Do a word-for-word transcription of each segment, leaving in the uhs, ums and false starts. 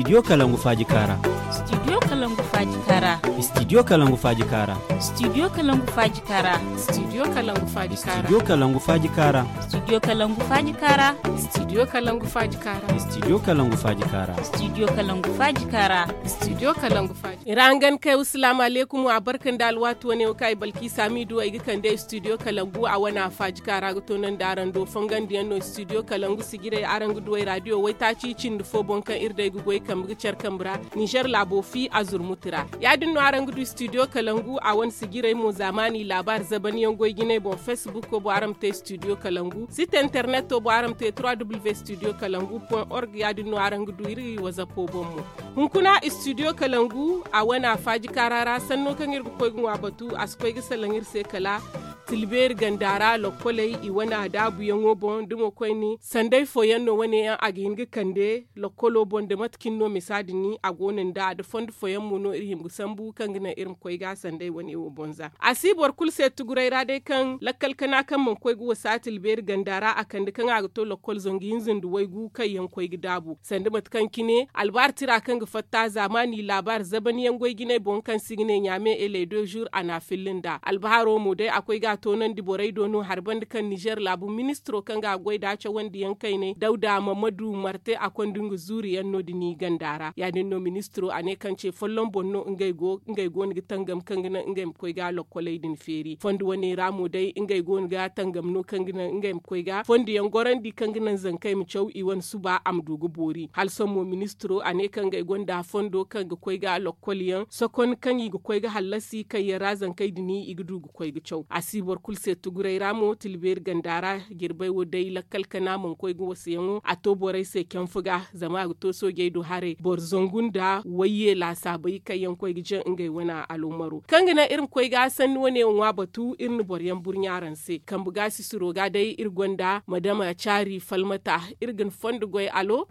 Studio kalangu faaji kaara. Studio kalangu faaji kaara. Studio kalangu faaji kaara. Studio kalangu faaji kaara. Studio kalangu faaji kaara. Studio kalangu faaji kaara. Studio kalangu faaji kaara. Studio kalangu faaji kaara. Studio kalangu faaji kaara. Studio kalangu faaji kaara. Studio kalangu faaji. Ira hangan kay wa salaamu aleykum, a barka nda alwaati wane wo kaŋ ay balki saami du ay ga kande studio kalangu a wane a faaji kaara ga toonandi araŋ do fongandiyaŋ no studio kalangu sijirey araŋ ga du ay raadiyo waytaaci cindi fo boŋ kaŋ iri day ga goy kambe ga care kambe ra. Nizer laabo fi a zurmuti ra ya- din no araŋ ga du studio kalangu a wane sijirey mo zaamaani laabaari zabanyaŋ goy jinay boŋ facebook bo araŋ ma te studio kalangu site interneto bo araŋ ma te trois w studio kalangu point org ya- din no araŋ ga du iri wazapo boŋ mo. Hunkuna studio kalangu a wane a faaji kaara ra sanno kaŋ iri ga koy ga ŋwa batu a si koy ga salaŋ iri se kala tilbeeri ganda ra lokkoley i wane a daabuyaŋo boŋ da mo koyne sanday fooyaŋ no wane yaŋ a ga hin ga kande lokkolo boŋ da mate kaŋ no misa din a go no nda da fondo fooyaŋ mo no iri hima ga sambu kaŋ ga naŋ iri ma koy ga sanday wane wo boŋ za a si boro kulu se tuguray ra day kaŋ lakkal kana kaŋ mana koy ga wasa tilbeeri ganda ra a kande kaŋ a ga to lokkol zangu hinza nda waygu kaŋ yaŋ koy ga daabu sanda mate kaŋ cine albaari tira kaŋ ga fatta zaamaani laabaari zaban yaŋ goy jinay boŋ kaŋ se i ga ne ɲaame eley de jour a na a filli nd'a albaharo mo day a koy ga a toonandi borey do no hari banda kaŋ nizer laabu ministiro kaŋ ga a goy nd'a cawandi yaŋ kaynay dawda mamadu marte a konda nga zuuri yaŋ no- din i ganda ra ya- din no ministiro a ne kaŋ ce folloŋ boŋ no ngey go no ga tangam kaŋ ga naŋ ngey ma koy ga lokkoley din feeri fondo wane ra mo day ngey go no ga tangam no kaŋ ga naŋ ngey ma koy ga fondo yaŋ gorandi kaŋ ga naŋ zankey ma caw i wane suba a ma du ga boori hala sohõ mo ministiro a ne kaŋ ngey gonda fondo kaŋ ga koy ga lokkol yaŋ sokon kaŋ i ga koy ga hallasi kaŋ yaŋ ra zankey din i ga du ga koy ga caw a si boro kulu se tuguray ra mo tilbeeri ganda ra jirbay wo day lakkal kana mana koy ga wasayaŋo a to borey se canfu ga zama a ga to soojey do haray boro zangu nda wayye laasaabey kaŋ yaŋ koy ga jaŋ ngey wane aloomaro kaŋ ga naŋ iri ma koy ga sanni wane wo ŋwa batu iri na boro yaŋ burɲa araŋ se kambe ga sisiro ga day iri gonda madama caari falmata iri ga ni fondo goy alo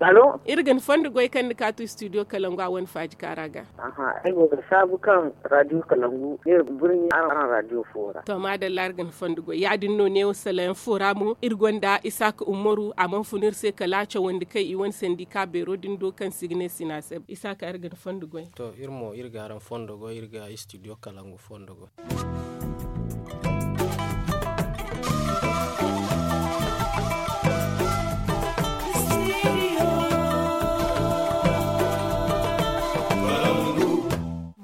iri ga ni fondo goy kaŋ ni kaatu studio kalangu a wane faaji kaara ga. Ay go ga saabu kaŋ radio kalangu ne burni araŋ radio fo ra. To maadalla iri ga ni fondo goy ya- din no neewo salayaŋ fo ra mo iri gonda isaaka umaru a mana fun iri se kala cawandi kaŋ i wane sandika beero din do kaŋ se i ga ne sinaaseb isaaka iri ga ni fondo goy. To iri mo iri ga araŋ fondo goy iri ga studio kalangu fondo goy.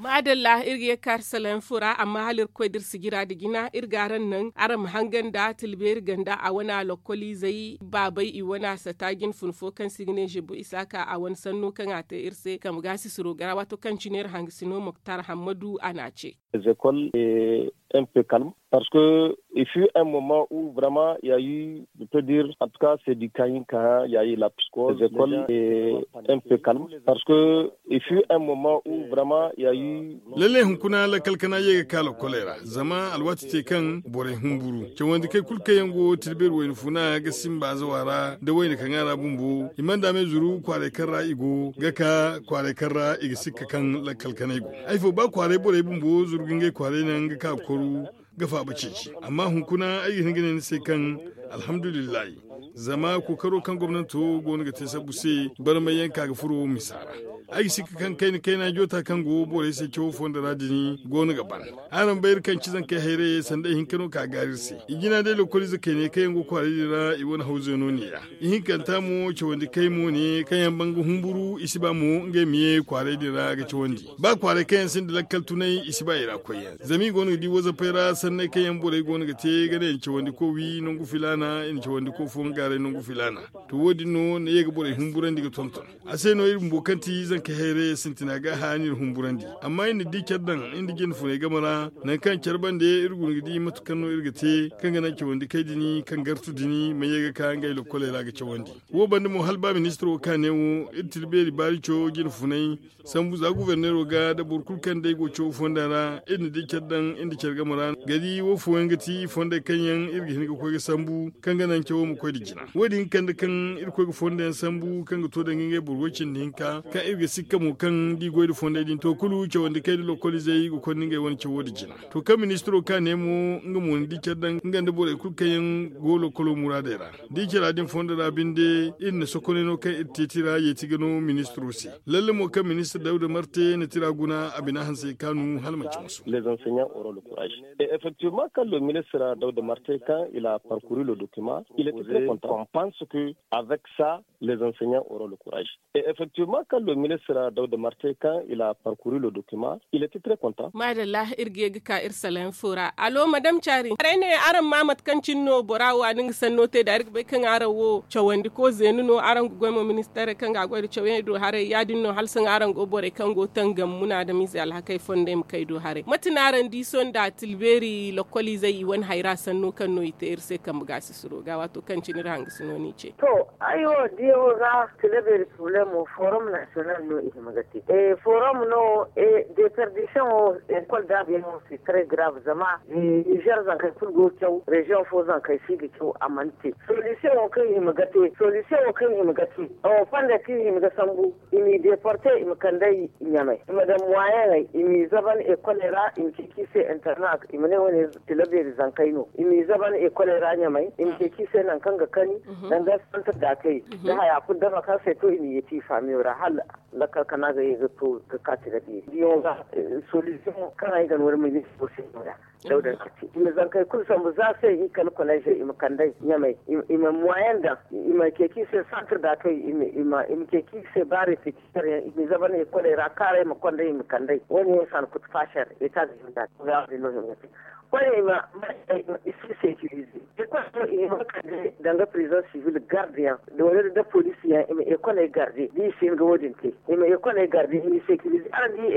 Maadalla iri ga ye ga kaari salayaŋ fo ra amma hala iri ga koy da iri sijira nda jina iri ga araŋ naŋ araŋ ma hangan nda tilbeeri ganda a wane a lokkoliizey baabey i wane a sata jine fun fo kaŋ se i ga ne zebu isaaka a wane sanno kaŋ a te iri se kambe ga sisiro ga ra waato kaŋ cine iri hangasino moktar hammadu a n'a ce. Zekol. Mp kalm parce que il fut un moment ou vraiment ya yu de pe dire en tout cas c'est du kahin kaha ya yi la psiko zekol. Mp kalm parce que il fut un moment ou vraiment ya yu. Lalle hunkuna lakkal kana ye ga ka lokkoley ra zama alwaati te kaŋ borey humburu cawandi kay kulu kaŋ yaŋ go tilbeeri wayna funa ga simba zawa ra da wayna kaŋ a ra bumbo i mana daamay zuru kwaaray kaŋ ra i go ga ka kwaaray kaŋ ra i ga sikka kaŋ lakkal kanay go. Ay fo ba kwaaray borey bumbo zuru ga ngey kwaaray naŋ ga ka ga koru ga faaba ceeci amma hunkuna ay ga hin ga ne ni se kaŋ alhamdulillahi zama kookaro kaŋ gomnanto go no ga te sabbu se barmay yaŋ ka ga furo misa ra. Ay ga sikka kaŋ kayna kayna joota kaŋ go borey se cawo fondo ra din go no ga ban. Araŋ bay iri kaŋ ci zankey hayrayey sanda ihinka no ka gaari iri se i jina day lokoliize kayney kaŋ yaŋ go kwaaray din ra i wane hawzey no neeya. Ihinkanta mo cawandi kay mo ne kaŋ yaŋ ban ga humburu i si ba mo ngey ma ye kwaaray din ra ga cawandi ba kwaaray kaŋ yaŋ sinda lakkal tunay i si ba i ra koyyaŋ zama i go no ga di wazapey ra sanney kaŋ yaŋ borey go no ga te ga ne i na cawandi ko wi nangu filaana i na cawandi ko fo nga gaaray nangu filaana. To wo- din no ni ye ga borey humburandi ga tonton a se no iri bumbo kaŋ ti zankey hayrayey sintina ga a hã no iri humburandi amma iri na di care daŋ iri nda jine funey game ra nangu kaŋ care bande iri guna ga di mate kaŋ no iri ga te kaŋ ga naŋ cawandi kay din kaŋ gartu din ma ye ga ka ngey lokkoley ra ga cawandi. Wo banda mo hala ba ministiro wo ka ne wo iri tira beeri baari cawo jine funay sambu za guberneero ga nda boro kulu kaŋ day go cawo fonda ra iri na di care daŋ iri nda care game ra ga di wo fooyaŋ ga ti fondey kaŋ yaŋ iri ga hin ga koy ga sambu kaŋ ga naŋ cawo ma koy nda jina wo- din kande kaŋ iri koy ga fonda yaŋ sambu kaŋ ga to danga ngey boro way cindi hinka kaŋ iri ga Sikka mo kaŋ da i goy nda fondey din to kulu cawandi kay nda lokoliizey i ga konda ngey wane cawo nda jina. To kaŋ ministiro ka ne mo nga mo ni di care daŋ nga nda borey kulu kaŋ yaŋ go lokolo muraadey ra da i cara din fondo ra binde iri na sokonay no kaŋ iri te tira yeeti ga no ministiro se. Lalle mo kaŋ ministir dawda marte na tira guna a bina hanse kaanu hala manci masu. Effectivement, quand le ministre Daouda Marté, quand il a parcouru le document, il était très content. On pense que avec ça, les enseignants auront le courage. Et effectivement, quand le ministre Daouda Marté, quand il a parcouru le document, il était très content. Madalla, iri ga ye ga ka iri salayaŋ fo ra. Alo, madame Cari, haray ne araŋ ma mate kaŋ cine no bora wo a na nga sanno te da iri ga bay kaŋ araŋ wo cawandi ko zeenu no araŋ ga goy mo ministaray kaŋ ga a goy nda cawyaŋ do haray ya- din no hala sohõ araŋ go borey kaŋ go tangam munaadamize alhakey fondey ma kay do haray mate no araŋ di sohõ nda tilbeeri lokoliizey i wane hayra sanno kaŋ no i te iri se kambe gaasisiro ga waato kaŋ cine iri hangasino n'i ce. To, ay wo diyaŋo ga tilbeeri problemo forum national no i hima ga te. Forum no, deperdition wo, ekol daabiyaŋo se très grave zama nizer zankey kulu go ga caw reziyoŋ fo zankey si ga caw a mana te. Solisiyoŋo kaŋ i hima ga te solisiyoŋo kaŋ i hima ga te, fonde kaŋ i hima ga sambu, i m'i deporte i ma kand'ey ɲamay, i ma daŋ muwayaŋey i m'i zaban ekoley ra i ma ceeci i se interna i ma ne wane, tilabeeri zankey no i m'i zaban ekoley ra ɲamay i ma ceeci i se nangu kaŋ ga kani, danga santir daakey, da haya kulu dama kaŋ se to i m'i yeeti i faamiyo ra hala lakkal kana ga ye ga to ga ka tilabeeri diyaŋo ga. Solisiyoŋo kaŋ ay ga no wala ministiro se no- ya. Dawda na ci i ma zankey kulu sambu za se i kala kolezey i ma kand'ey ɲamey, i ma muwayaŋ daŋ, i ma ceeci i se santir daakey, i ma ceeci i se ba repetiser yaŋ i ma i zaban ekoley ra kaarey ma kond'ey i ma kand'ey wo- ne yaŋ sankutu faasar eta ga hima da. Koyne i ma i si sekirize. Ekol no i hima ga kande danga pirizoŋ sivil garde yaŋ, wala nda poliisi yaŋ i ma ekoley garde da i si hin ga wo- din te, i ma ekoley garde i m'i sekirize araŋ di.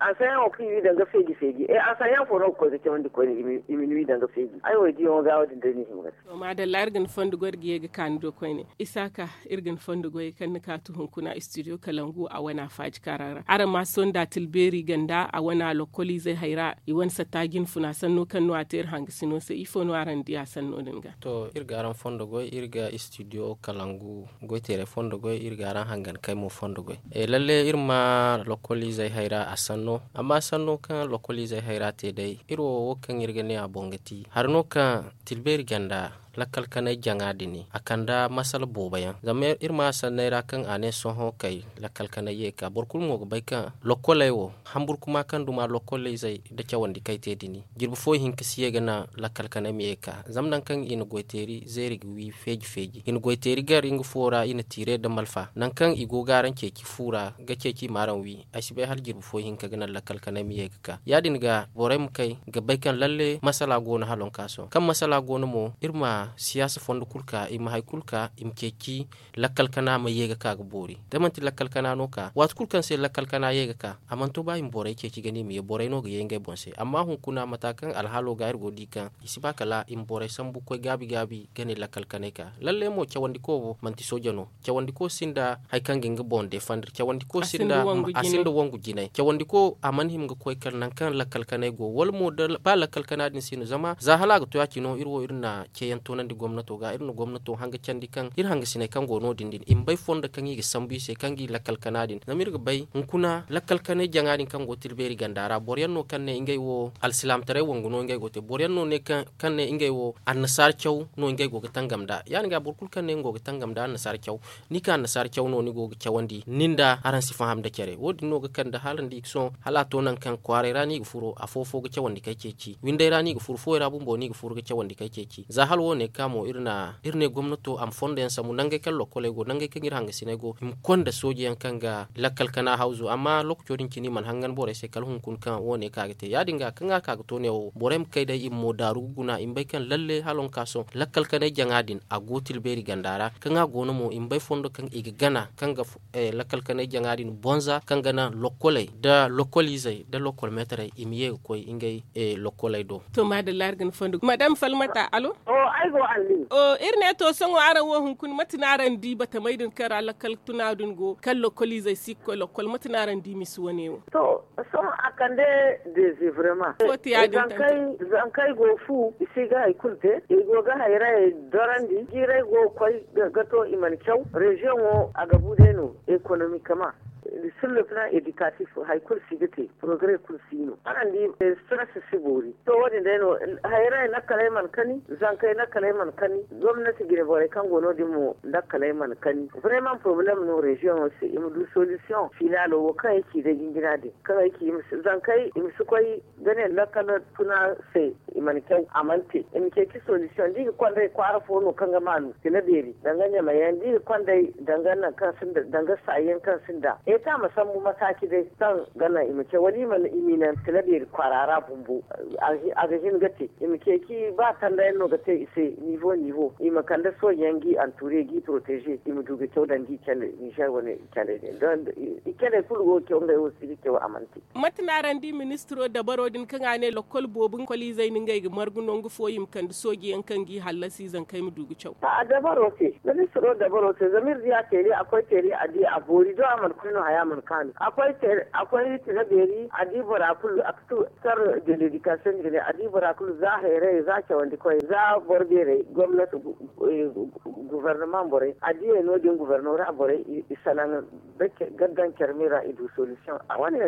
Ansayaŋo kaŋ i wi danga feeji feeji ansayaŋ fo no ga koy ga cawandi koyne i ma ni wi danga feeji ay wo ay diyaŋo ga wo- din day no i hima ga te. To maadalla iri ga ni fondo goy iri ga ye ga ka ni do koyne. Isaaka, iri ga ni fondo goy kaŋ ni kaatu hunkuna istidiyo kalangu a wana faaji kaara ra araŋ ma sohõ nda tilbeeri ganda a wana lokkoliizey hayra i wane satta jinfuna sanno kaŋ no a te iri hangasino se ifo no araŋ di a sanno din ga? To iri ga araŋ fondo goy iri ga istidiyo kalangu goy teeray fondo goy iri ga araŋ hangan kay mo fondo goy. Lalle iri ma lokkoliizey hayra a sanno amma sanno kaŋ lokkoliizey hayra te day iri wo wo kaŋ iri ga ne a boŋ ga ti hari no kaŋ tilbeeri ganda lakkal kanay jaŋa din a kanda masala boobo yaŋ zama iri ma sanney ra kaŋ a ne sohõ kay lakkal kanay ye ga ka boro kulu mo ga bay kaŋ lokkoley wo hamburkuma kaŋ duma lokkoley zey nda cawandi kay te din jirbi fo i hin ga si ye ga naŋ lakkal kanay ma ye ga ka zama nangu kaŋ i na goy teeri zeeri ga wi feeji feeji i na goy teeri gar nga fo ra i na tiire nda malfa nangu kaŋ i go ga araŋ ceeci fu ra ga ceeci i ma araŋ wi ay si bay hala jirbi fo i hin ga ka ga naŋ lakkal kanay ma ye ga ka ya- din ga borey ma kay ga bay kaŋ lalle masala go no hala wonka sohõ kaŋ masala go no mo iri ma siyaasa fondo kulu ka i ma hari kulu ka i ma ceeci lakkal kana ma ye ga ka ga boori da manti lakkal kana no ka waati kulu kaŋ se lakkal kana ye ga ka a mana to ba i ma borey ceeci ga ne i ma ye borey no ga ye ngey boŋ se amma hunkuna mata kaŋ alhaalo ga iri go ga di kaŋ i si ba kala i ma borey sambu koy gaabi gaabi ga ne lakkal kanay ka lalle mo cawandi ko wo manti sooja no cawandi ko sinda hari kaŋ ga nga boŋ defandar cawandi ko sinda a sinda wangu jinay cawandi ko a mana hima ga koy kala nangu kaŋ lakkal kanay go wala mo ba lakkal kana din si no zama za hala a ga to ya- cine iri wo iri na ceeyaŋ toonandi gomnato ga iri na gomnato hanga candi kaŋ iri hangasiney kaŋ go no- din din i ma bay fondo kaŋ i ga sambu i se kaŋ ga i lakkal kana din zama iri ga bay hunkuna lakkal kanay jaŋa din kaŋ go tilbeeri ganda ra boro yaŋ no kaŋ ne ngey wo alsilaamataray wangu no ngey go ga te boro yaŋ no ne kaŋ ne ngey wo annasaara caw no ngey go ga tangam nd'a ya- din ga boro kulu kaŋ ne nga go ga tangam nda annasaara caw ni ka annasaara caw no ni go ga cawandi nin da araŋ si faham nda care wo- din no ga kande hala ni di ga sohõ hala a to nangu kaŋ kwaaray ra no i ga furo afo fo ga cawandi kay ceeci winday ra no i ga furo fuwey ra bumbo no i ga furo ga cawandi kay ceeci za hala wo- ne ga ka mo iri ne gomnato a ma fondo yaŋ sambu nangey kaŋ lokkoley go nangey kaŋ iri hangasiney go i ma konda sooje yaŋ kaŋ ga lakkal kana hawzu amma lookaco din cine i mana hangan borey se kala hunkuna kaŋ wo- ne ka ga te ya- din ga kaŋ a ka ga to ne wo borey ma kay day i ma mo daaru ga guna i ma bay kaŋ lalle hala wonka sohõ lakkal kanay jaŋa din a go tilbeeri ganda ra kaŋ a go no mo i ma bay fondo kaŋ i ga gana kaŋ ga lakkal kanay jaŋa din bonza kaŋ ga naŋ lokkoley nda lokkoliizey nda lokkol meetarey i ma ye ga koy ngey lokkoley do. To maadalla iri ga ni fondo madam falmata alo. Iri ne to sohõ araŋ wo hunkuna mate no araŋ di batamey din kaŋ ra lakkal tuna din go kaŋ lokkoliizey si ga koy lokkol mate no araŋ di misi wane wo? To sohõ a kande dezevrema. Zankey go fu i si ga hari kulu te i go ga hayrayey dorandi jiirey go ga koy ga to i mana caw reziyoŋo a ga bu day no ekonomikama. Sur le plan éducatif, hari kulu si ga te, progrès kulu si no. Araŋ di, stress si boori. To, wo- din day no. Hayray lakkaley mana kani, zankey lakkaley mana kani. Gomnati jine borey kaŋ go no- din mo, lakkaley mana kani. Vraiment problème no région wo se, i ma du solution finalo wo kaŋ ay ci day jinjina din, kaŋ ay ci i ma si- zankey i ma si koy ga ne lakkal tuna se. I mana caw, a mana te. I ma ceeci solution da i ga konday kwaara fo no kaŋ ga maanu tila beeri danga ɲamayaŋ da i ga konday danga nangu kaŋ sinda danga saayaŋ kaŋ sinda eta ma sambu mataaci day kaŋ ga naŋ i ma caw wala i ma i ma i naŋ tila beeri kwaara ra bumbo. A ga hin ga te. I ma ceeci ba tandayaŋ no ga te i se nivo nivo i ma kande soojeyaŋ ga i anture ga i protege i ma du ga caw danga i cale ninzeer wane i cale din. I cale kulu go ga caw ngey wo si ga caw a mana te. Mate no araŋ di ministiro dabaro din kaŋ a ne lakkol boobo lakkoliizey no ngey ga margu nangu fo i ma kande soojeyaŋ kaŋ g'i hallasi zankey ma du ga caw? A dabaro se, ministiro dabaro se zama iri di a teeri a koy teeri a di a boori do a mana koy no haya mana kaanu a koy tila beeri a di bora kulu a ga tu sar de ledikasiyoŋ jine a di bora kulu za hayray za cawandi koy za boro beerey gomnati gubarnama borey a diyey no- din gubarnama borey i salaŋ. Ga daŋ care me ra i du solution a wane.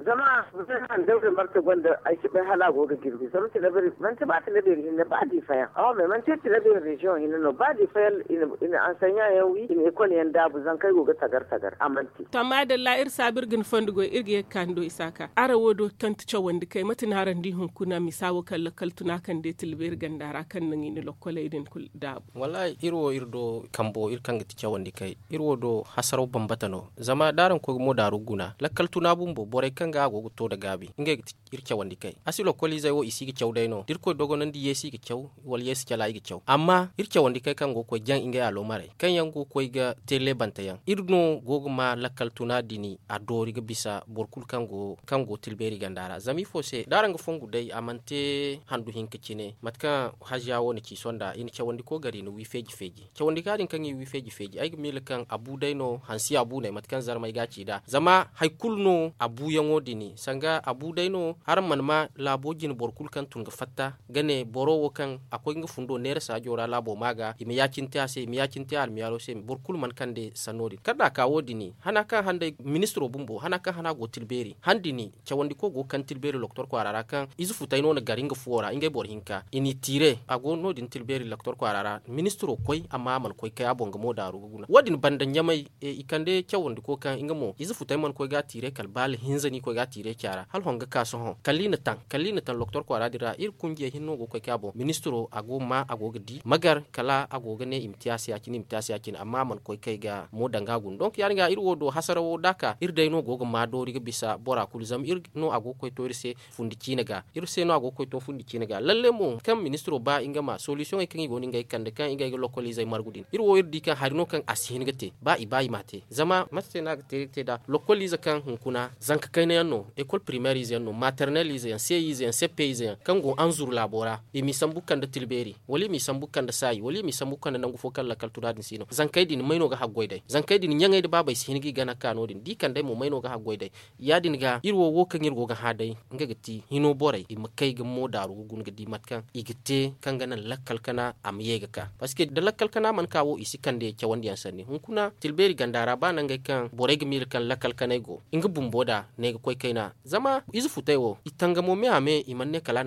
Zama zama handaw da marte gonda ay si bay hala a go ga jirbi zama tila beeri manti ba tila beeri hinne ba diifa yaŋ awa me manti tila beeri reziyoŋ hinne no ba diifa yaŋ. I na ansaɲa yaŋ wi i na ekol yaŋ daabu zankey go ga tagar tagar a manti. To maadalla iri saabu iri ga ni fondo goy iri ga ye ga ka ni do isaaka araŋ wo do kaŋ ti cawandi kay mate no araŋ di hunkuna misa wo kaŋ lakkal tuna kaŋ day tila beeri ganda ra kaŋ naŋ i na lokkoley din kulu daabu. Wallaahi iri wo iri do kambo iri kaŋ ga ti cawandi kay iri wo do hasaraw bambata no. Zama da araŋ koy ga mo daaru guna lakkal tuna bumbo borey kaŋ ga a go ga to nda gaabi ngey ga ti iri cawandi kay a si lokkoliizey wo i si ga caw day no da iri koy dogonandi yeesi i ga caw wala yeesi cala i ga caw amma iri cawandi kay kaŋ go ga koy jaŋ ngey aloomarey kaŋ yaŋ go ga koy ga te leebante yaŋ iri no go ga ma lakkal tuna dini a doori ga bisa boro kulu kaŋ go tilbeeri ganda ra zama ifo se da araŋ ga fongu day a mana te handu hinka cine mate kaŋ haziya wo na ci sonda i na cawandi koy gar i na wi feeji feeji cawandi ka din kaŋ i wi feeji feeji ay ga miila kaŋ a bu day no hansi a bu no ay mate kaŋ zarmay ga a ci nd'a zama hari kulu no a buuyaŋo din sanga a bu day no araŋ mana ma laabo jine boro kulu kaŋ tun ga fatta ga ne boro wo kaŋ a koy nga fundo neera saajo ra laabo ma ga i ma ya-cine te a se i ma ya-cine te almiyaalo se boro kulu mana kande sanno din kala da a ka wo- din hana kaŋ han day ministiro bumbo hana kaŋ hana go tilbeeri han din cawandi koy go ga kande tilbeeri loktor kwaara ra kaŋ ize futay no na gar nga fuwo ra ngey boro hinka i n'i tiire a go no- din tilbeeri loktor kwaara ra ministiro koy amma a mana koy kay a boŋ ga mo daaru ga guna wo- din banda ɲamay i kande cawandi koy kaŋ nga mo ize futay mana koy ga a tiire kala baala hinza no i koy ga a tiire caara hala hon ga ka sohõ kala i na taŋ kala i na taŋ loktor kwaara din ra iri kunjiyey hinne no go ga koy kay a boŋ ministiro a go ga ma a go ga di magar kala a go ga ne i ma te a se ya- cine i ma te a se ya- cine amma a mana koy kay ga mo danga a guna donk ya- din ga iri wo do hasara wo da a ka iri day no go ga ma doori ga bisa bora kulu zama iri no a go ga koy to iri se fundi ciine ga iri se no a go ga koy to fundi ciine ga lalle mo kaŋ ministiro ba nga ma solisiyoŋey kaŋ i go no ngey ga kande kaŋ ngey ga lokkoliizey margu din iri wo iri di kaŋ hari no kaŋ a si hin ga te ba i ba i m'a te zama mate se no a ga te iri ga te nd'a lokkoliize kaŋ hunkuna zanka kayna yaŋ no ekol primeer ize yaŋ no maternel ize yaŋ se ize yaŋ seppe ize yaŋ kaŋ go anzuru laabo ra i m'i sambu ga kande tilbeeri wala i m'i sambu ga kande saayi wala i m'i sambu ga kande nangu fo kaŋ lakkal tuna din si no zankey din may no ga haggoy day zankey din ɲaŋey nda baabey si hin ga i gana ga ka no- din da i kand'ey mo may no ga haggoy day ya- din ga iri wo wo kaŋ iri go ga hã day nga ga ti hino borey i ma kay ga mo daaru ga guna ga di mate kaŋ i ga te kaŋ ga naŋ lakkal kana a ma ye ga ka parceque da lakkal kana mana ka wo i si kande cawandiyaŋ sanni hunkuna tilbeeri ganda ra ba nangey kaŋ borey ga miila kaŋ lakkal kanay go nga bumbo nd'a ne ga koy kayna zama ize futay wo i tangamo me a me i mana ne kala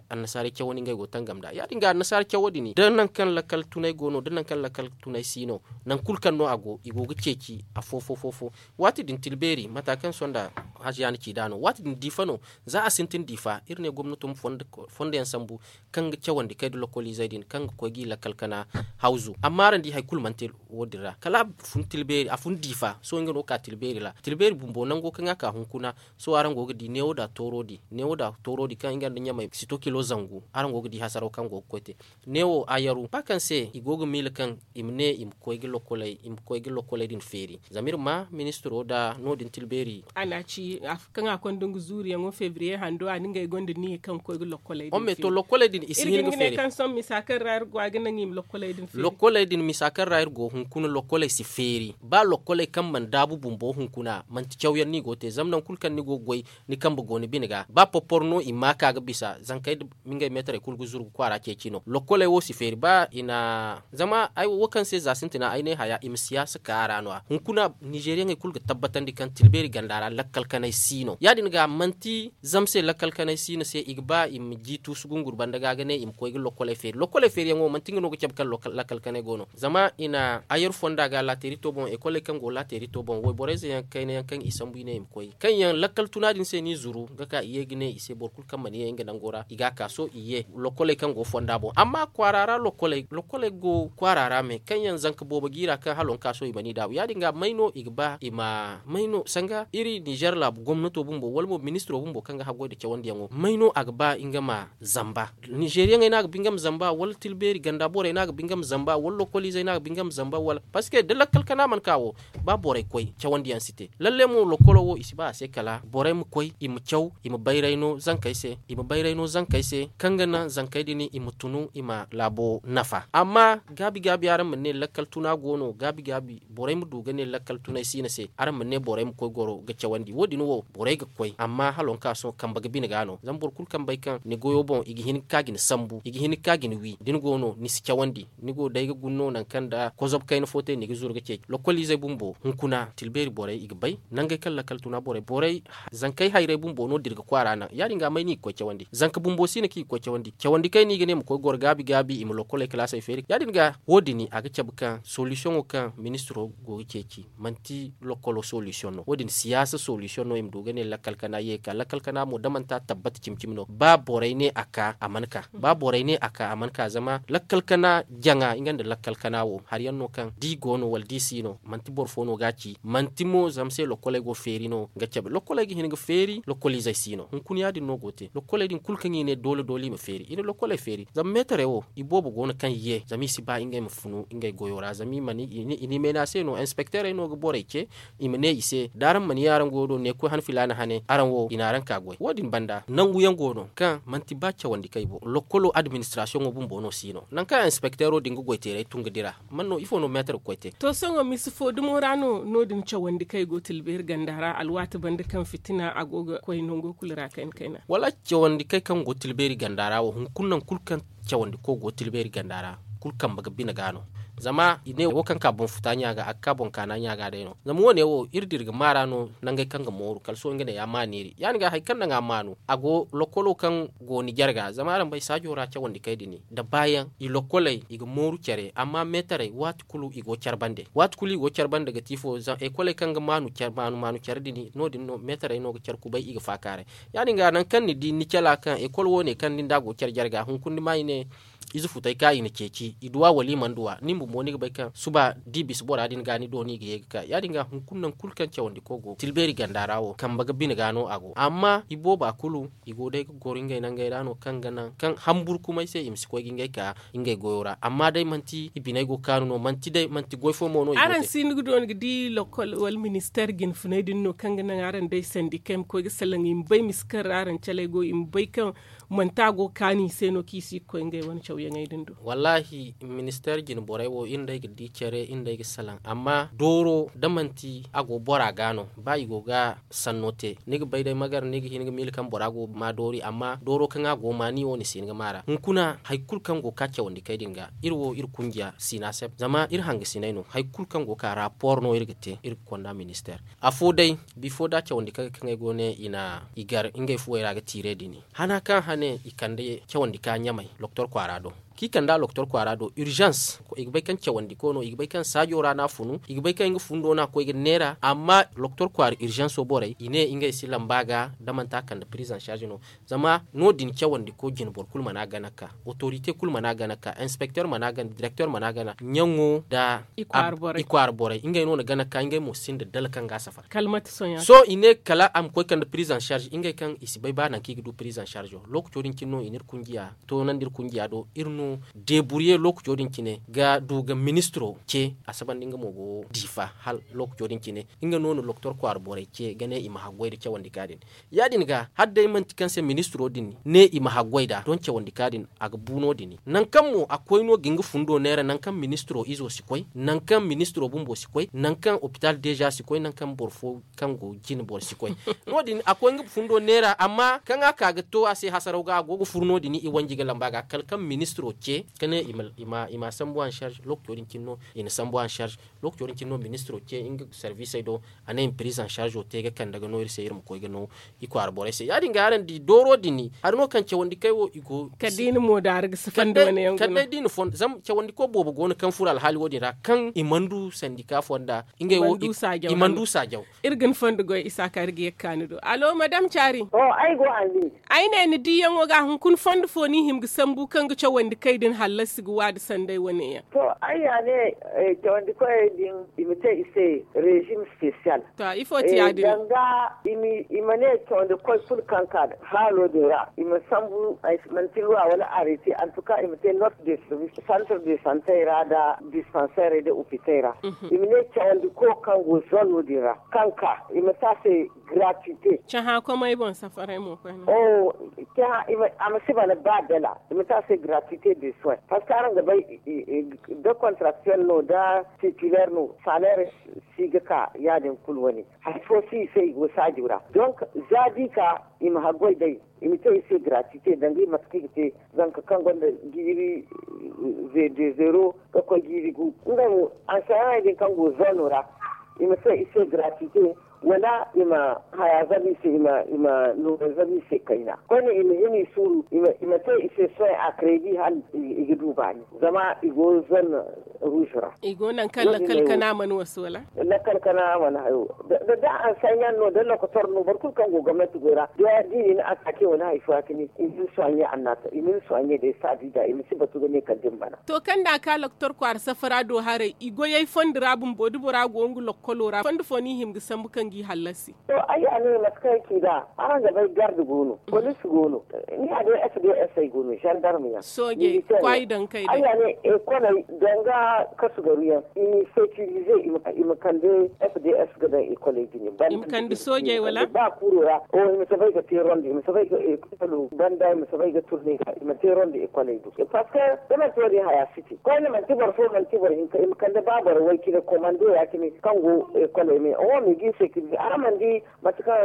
annasaarey cawandi ngey go tangam nd'a ya- din ga annasaara cawo din da nangu kaŋ lakkal tunay go no da nangu kaŋ lakkal tunay si no nangu kulu kaŋ no a go i go ga ceeci afo fo fo fo waati din tilbeeri mata kaŋ sonda haziya na ci nd'a no waati din diifa no za a sintin diifa iri ne gomnato ma fondo yaŋ sambu kaŋ ga cawandi kay nda lokkoliizey din kaŋ ga koy g'i lakkal kana hawzu amma araŋ di hari kulu mana te wo- din ra kala a fun tilbeeri a fun diifa sohõ nga no ga ka tilbeeri ra tilbeeri bumbo nango kaŋ a ka hunkuna sohõ araŋ go ga di neewo nda tooro di neewo nda tooro di kaŋ nga nda ɲamey sito kilo zangu araŋ go ga di hasaraw kaŋ go ga koy te neewo a yaru ba kaŋ se i go ga miila kaŋ i ma ne i ma koy ga lokkoley i ma koy ga lokkoley din feeri zama iri ma ministiro nda no- din tilbeeri a na ci Kaŋ a konda nga zuuriyaŋo febriye hando a na ngey gonda niya kaŋ ga koy ga lokkoley din feeri. Iri ga hin ga ne kaŋ sohõ misa kaŋ ra iri go a ga naŋ i ma lokkoley din feeri. Lokkoley din misa kaŋ ra iri go hunkuna lokkoley si feeri ba lokkoley kaŋ mana daabu bumbo hunkuna manti cawyaŋ no i go ga te zama nangu kulu kaŋ ni go ga goy ni kambe go ni bine ga ba porporo no i ma a ka ga bisa zankey da ngey meetarey kulu ga zuru ga kwaara ceeci no lokkoley wo si feeri ba i na zama ay wo kaŋ se za sintina ay ne haya i ma siyaasa ka a ra no- ya hunkuna ninzeeriyaŋey kulu ga tabbatandi kaŋ tilbeeri ganda ra lakkal kanay si no ya- din ga manti zama se lakkal kanay si no se i ga ba i ma jiitu si gunguri banda ga ga ne i ma koy ga lokkoley feeri lokkoley feeriyaŋo manti nga no ga cabe kaŋ lakkal kanay go no zama i na ayar fonda ga laateerito boŋ ekoley kaŋ go laateerito boŋ wayborey ze yaŋ kayna yaŋ kaŋ i sambu i ne i ma koy kaŋ yaŋ lakkal tuna din se no i zuru ga ka i ye ga ne i se boro kulu kaŋ mana ye nga nango ra i ga a ka sohõ i ye lokkoley kaŋ go fonda boŋ amma kwaara ra lokkoley go kwaara ra me kaŋ yaŋ zanka boobo ga i ra kaŋ hala wonka sohõ i mana i daabu ya- din ga may no i ga ba i ma may no sanga iri ninzeer laabu gomnato bumbo wala mo ministiro bumbo kaŋ ga haggoy nda cawandiyaŋo may no a ga ba nga ma zamba ninzeeriyaŋey no a ga ba nga ma zamba wala tilbeeri ganda borey no a ga ba nga ma zamba wala lokkoliizey no a ga ba nga ma zamba wala parceque da lakkal kana mana ka wo ba borey koy cawandiyaŋ si te lalle mo lokkolo wo i si ba a se kala borey ma koy i ma caw i ma bayray no zankey se i ma bayray no zankey se kaŋ ga naŋ zankey din i ma tunu i ma laabo nafa amma gaabi gaabi araŋ ma ne lakkal tuna go no gaabi gaabi borey ma du ga ne lakkal tunay siina se araŋ ma ne borey ma koy goro ga cawandi wo- din wo borey ga koy amma hala wonka sohõ kambe ga bine ga no zama boro kulu kaŋ bay kaŋ ni goyo boŋ i ga hin ga ka ga ni sambu i ga hin ga ka ga ni wi da ni go no ni si cawandi ni go day ga guna no nangu kaŋ nda kozob kayna fo te ni ga zuru ga ceeci lokkoliizey bumbo hunkuna tilbeeri borey i ga bay nangey kaŋ lakkal tuna borey borey zankey hayrey bumbo no da iri ga kwaara naŋ ya- din ga may no i ga koy cawandi zanka bumbo siina kaŋ i ga koy cawandi cawandi kayna i ga ne ma koy goro gaabi gaabi i ma lokkoley kalaasey feeri ya- din ga wo- din a ga cabe kaŋ solisiyoŋo kaŋ ministiro go ga ceeci manti lokkolo solisiyoŋ no wo- din siyaasa solisiyoŋ no i ma du ga ne lakkal kana ye ga ka lakkal kana mo da manti a tabbata cimi cimi no ba borey ne a ka a mana ka ba borey ne a ka a mana ka zama lakkal kana jaŋa nga nda lakkal kana wo hari yaŋ no kaŋ da i go no wala da i si no manti boro fo no ga a ci manti mo zama se lokkoley go feeri no ga cabe lokkoley ga hin ga feeri lokkoliizey si no hunkuna ya- din no go ga te lokkoley din kulu kaŋ i ne doole doole i ma feeri i na lokkoley feeri zama meetarey wo i boobo go no kaŋ ye zama i si ba ngey ma funu ngey goyo ra zama i mana i ne i ma ne a se no inspekteerey no ga borey ce i ma ne i se da araŋ mana ye araŋ goyo do ne koy han filaana hane araŋ wo i na araŋ ka goy wo- din banda nangu yaŋ go no kaŋ manti ba cawandi kay bo lokkolo administrasiyoŋo bumbo no si no nangu kaŋ inspekteero din ga goy teeray tun ga dira man no ifo no meetar ga koy te. To sohõ misi fo dumo ra no no- din cawandi kay go tilbeeri ganda ra alwaati banda kaŋ fitina a go ga koy nango kulu ra kayna kayna. Wala cawandi kay kaŋ go tilbeeri ganda ra wo hunkuna nangu kulu kaŋ cawandi ko go tilbeeri ganda ra kulu kambe ga bine ga no zama i ne wo kaŋ ka boŋ futa ɲa ga a ga ka boŋ kaana ɲa ga day no zama wo- ne wo iri dira ga maara no nangey kaŋ ga mooru kala sohõ nga ne ya maaneeri ya- din ga hari kaŋ naŋ a maanu a go lokkolo kaŋ go ni jarga zama araŋ bay saajo ra cawandi kay din nda baayaŋ i lokkoley i ga mooru care amma meetarey waati kulu i go care bande waati kulu i go care bande ga ti ifo zama ekoley kaŋ ga maanu care maanu care din no- din no meetarey no ga care kubay i ga faakaaray ya- din ga nangu kaŋ ni di ni cala kaŋ ekol wo- ne kaŋ ni nda a go care jarga hunkuna ni ma i ne ize futey ka i na ceeci i duwa wala i mana duwa nin bumbo ni ga bay kaŋ suba da i bisa bora din ga ni do no i ga ye ga ka ya- din ga hunkuna nangu kulu kaŋ cawandi ko go tilbeeri ganda ra wo kambe ga bine ga no a go amma i booba kulu i go day ga goro ngey nangey ra no kaŋ ga naŋ kaŋ hamburkumay se i ma si koy ga ngey ka ngey goyo ra amma day manti i biney go kaanu no manti day manti goy fo mo no i go te. Araŋ si ni ga dooni ga di lokol wala ministeer jinfunay din no kaŋ ga naŋ araŋ day sandikey ma koy ga salaŋ i ma bay misa kaŋ ra araŋ caley go i ma bay kaŋ manti a go ga kaanu i se no kaŋ i si ga koy ngey wane cawyaŋey din do. Wallahi ministeer jine borey wo iri nda ay ga di care iri nda ay ga salaŋ amma dooro da manti a go bora ga no ba i go ga sanno te ni ga bay day magar ni ga hin ga miila kaŋ bora go ma doori amma dooro kaŋ a go ma ni wo ni si hin ga ma ra hunkuna hari kulu kaŋ go ga ka cawandi kay din ga iri wo iri kunjiya sina se zama iri hangasinay no hari kulu kaŋ go ga ka rapport no iri ga te iri ga konda ministeer afo day bifo da cawandi kaŋ ay go ne i na i gar ngey fuwey ra ga tiire dini hana kaŋ hane i kande cawandi ka ɲamay loktor kwaara do kaŋ i kande a loktor kwaara do urgence i ga bay kaŋ cawandi ko no i ga bay kaŋ saajo ra no a funu i ga bay kaŋ nga fundo no a koy ga neera amma loktor kwaara urgence borey i ne ngey si lamba ga da manti a kande prise en charge no zama no- din cawandi ko jine boro kulu mana gana ka autorite kulu mana gana ka inspecteur mana gana directeur mana gana ɲaŋo da i kwaara borey ngey no na gana ka ngey mo sinda dala kaŋ ga a safara. Sohõ i ne kala a ma koy kande prise en charge ngey kaŋ i si bay ba nangu kaŋ i ga du prise en charge wo lookaco din cine no i n'iri kunjiya toonandi iri kunjiya do iri no. Deeburye lookaco din cine ga du ga ministiro ce a saba nda nga mo go diifa hala lookaco din cine. Nga no na doktor kwaara borey ce ga ne i ma haggoy nda cawandi ka din. Ya- din ga hala day manti kaŋ se ministiro din ne i ma haggoy nd'a don cawandi ka din a ga bu no- din. Nangu kaŋ mo a koy no ga nga fundo neera nangu kaŋ ministiro izo si koy, nangu kaŋ ministiro bumbo si koy, nangu kaŋ opital deeza si koy nangu kaŋ boro fo kaŋ go jine boro si koy. No- din a koy nga fundo neera amma kaŋ a ka ga to a se hasaraw ga a go ga furu no- din i wanji ga lamba ga kala kaŋ ministiro ce ka ne i ma sambu en charge lookaco din cine no i na sambu en charge. Lookaco din cine no ministiro ce nga servisey do a ne i ma prise en charge te ga kande ga no iri se iri ma koy ga no i kwaara borey se ya- din ga araŋ di dooro din hari no kaŋ cawandi kay wo i go. Kala day da i na fondo zama cawandi ko boobo go no kaŋ furo alhaali wo- din ra kaŋ i mana du sandika fonda ngey wo i mana du saajaw. Iri ga ni fondo goy isa ka iri ga ye ga ka ni do alo madam caari. Ay ne ni diiyaŋo ga hunkuna fondo fo no i hima ga sambu kaŋ ga cawandi kay din hallasi ga waadi sanday wane yaŋ. To ay ya ne cawandi koyey din i ma te i se rezim special. To ifo ti ya- din? Danga i ma ne cawandi koy kulu kaŋ ka haalo din ra i ma sambu manti luwa wala arrêté en tout cas i ma te note de service centre de santé ra nda dispensairey nda hôpital ra. I ma ne cawandi ko kaŋ go zone wo- din ra kaŋ ka i ma te a se gratuité. Cahã komey boŋ safaray mo koyne. A ma si bana ba dala i ma te a se gratuité de soin parce que araŋ ga bay da contractuel no da titulaire no salaire si ga ka ya- din kulu wane hari fo si i se i go saajo ra. Donc za da i ka i ma haggoy day i ma te i se gratuité danga i mate kaŋ i ga te zanka kaŋ gonda jiiri de zero ga koy jiiri gu ngey mo ansayaŋey din kaŋ go zoono ra i ma te i se gratuité wala i ma haya zabu i se i ma nuuray zabu i se kayna koyne i ma hima i suuru i ma te i se soin a crédit hala i ga du baani zama i go zone rouge ra. I go nangu kaŋ lakkal kana mana wasu wala? Lakkal kana mana hayo da ansayaŋ no da lokotor no boro kulu kaŋ go gomnanti goy ra da i na attaqué wala hari fo ya- cine i ma ni soigne annaata i ma ni soigne day saadi da i ma si batu ga ne kala da ni bana. To kaŋ da a ka lokotor kwaara safara do haray i goyey fondo ra bumbo da bora go nga lokkolo ra fondo fo no i hima ga sambu kaŋ ga i hallasi? To ay ya ne mate kaŋ ay ci nd'a araŋ ga bay garde go no police go no ni ya day sds ay go no gendarme yaŋ soojey kwaay daŋ kay day ay ya ne ekoley danga kasugaru yaŋ i ma i sécuriser i ma kande sds ga daŋ ekoley jine ba kuuro ra o i ma soobay ga te ronde i ma soobay ga ekolo banda i ma soobay ga turne ga i ma te ronde ekoley do parce que da manti wo- din haya si te koyne manti boro fo manti boro hinka i ma kande ba boro way cine komando ya- cine kaŋ go ekoley me oho ma i ga i sécuriser araŋ mana di mate kaŋ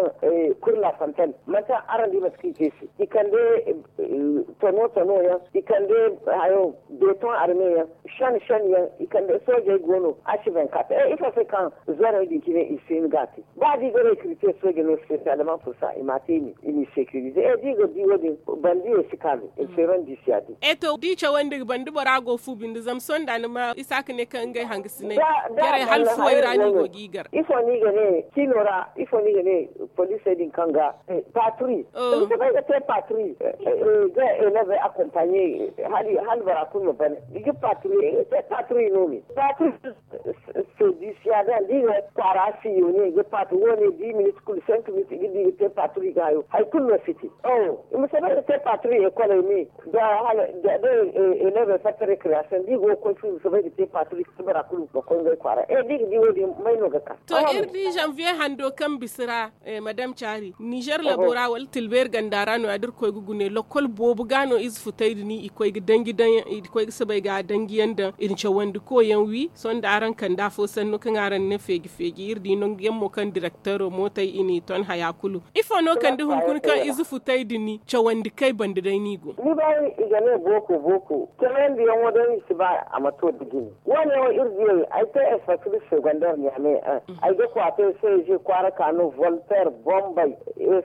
kur la fontaine mate araŋ di mate kaŋ i te se i kande tono tono yaŋ i kande hayo beton arme yaŋ shan shan yaŋ i kande soojey go no ashi vingt-quatre e ifo se kaŋ zorey din cine i si hin ga a te ba da i ga recruter sooje no spécialement pour ça i ma a te i ma i sécuriser e da i ga di wo- din bandiyey si ka me i ma feeron di si ya- din. E to da i cawandi ga banda bora go fu binde zama sohõ da ni ma isaaka ne kaŋ ngey hangasiney jarey hala fuwey ra no i go ga i gar. Ifo no i ga ne cino ra ifo no i ga ne poliisey din kaŋ ga patrouille i ma soobay ga te patrouille ga élèves accompagner hala bora kulu ma ban i ga patrouille i ga te patrouille no me patrouille se dix ya da da i ga kwaara siyone i ga patrouille wo- ne dix minutes kulu cinq minutes i ga di i ga te patrouille ga hayo hari kulu no si te i ma soobay ga te patrouille école me da hala da élèves fatta récréation da i go ga koy fu i ma soobay ga te patrouille kala bora kulu ma koy ngey kwaara e da i ga di wo- din may no ga ka. To iri di janvier hando kaŋ bisa ra madame caari nizer labo ra wala tilbeeri ganda ra no- ya da iri koy ga gune lokol boobo ga no ize futay din i koy ga danji daŋ i koy ga soobay ga danji yaŋ daŋ i na cawandi ko yaŋ wi sohõ da araŋ kande afo sanno kaŋ araŋ na ne feeji feeji iri di nangu yaŋ mo kaŋ direktero mootey i n'i ton haya kulu ifo no kande hunkuna kaŋ ize futay din cawandi kay banda day no i go. Ni bay i ga ne booko booko cawandi yaŋo day i si ba a ma to da jine wo- ne wo iri diyey ay te espasiri segondar ɲaame ay ga kwaatay seeje kwaara kaanu volter bombay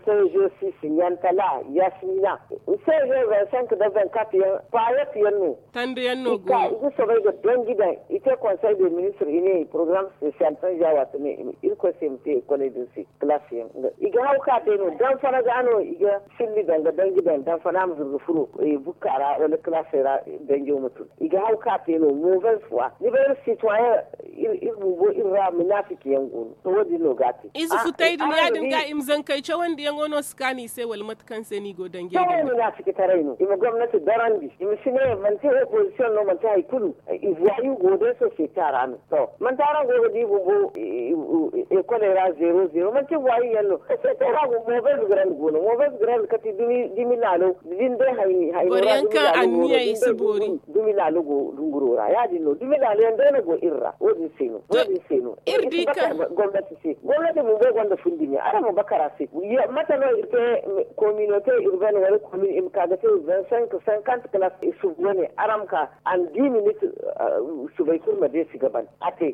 seeje sisi ɲantala yasmina seeje vingt cinq da vingt quatre yaŋ payet yaŋ no. Tanda yaŋ no go i ga soobay ga danji daŋ i te konsey de ministir i ne i porogaram spesiyal tanja waati ne irkoy se i ma te ekoley din se. Kalaasi yaŋ i ga haw ka te no danfana ga no i ga silli daŋ ga danji daŋ danfana ma zuru ga furo bukka ra wala kalaasey ra danjo ma tun i ga haw ka te no movez fwa ni bay iri sitwayen iri bumbo iri. Ba munaafiki yaŋ go no, to wo- din no ga a te. Ize futay din ya- din ga i ma zankey cawandiyaŋo no si kaanu i se wala mate kaŋ se no i go danjey din? Cawey munaafiki taray no. I ma gomnati dorandi, i ma si ne manti opozisiyoŋ no, manti hari kulu. I voyou go day sosiyete ra no. To manti araŋ go ga di bumbo ekoley ra zero zero manti voyou yaŋ no? Sosiyete ra bumbo mobez grand go no, mobez grand kati dumi laalo din day hayni hayno ra dumi laalo go no din day dumi laalo go dunguro ra ya- din no dumi laalo yaŋ day no go iri ra wo- din se no. Wo- din se no iri si bakar gomnati se. Gomnati bumbo gonda fundi me araŋ ma bakar a se. Mate no iri te kominote urbaine wala komin i ma ka ga te vingt cinq cinquante classe i subu wane araŋ ma ka an dix minutes. Subay kulu ma deesi ga ban a te.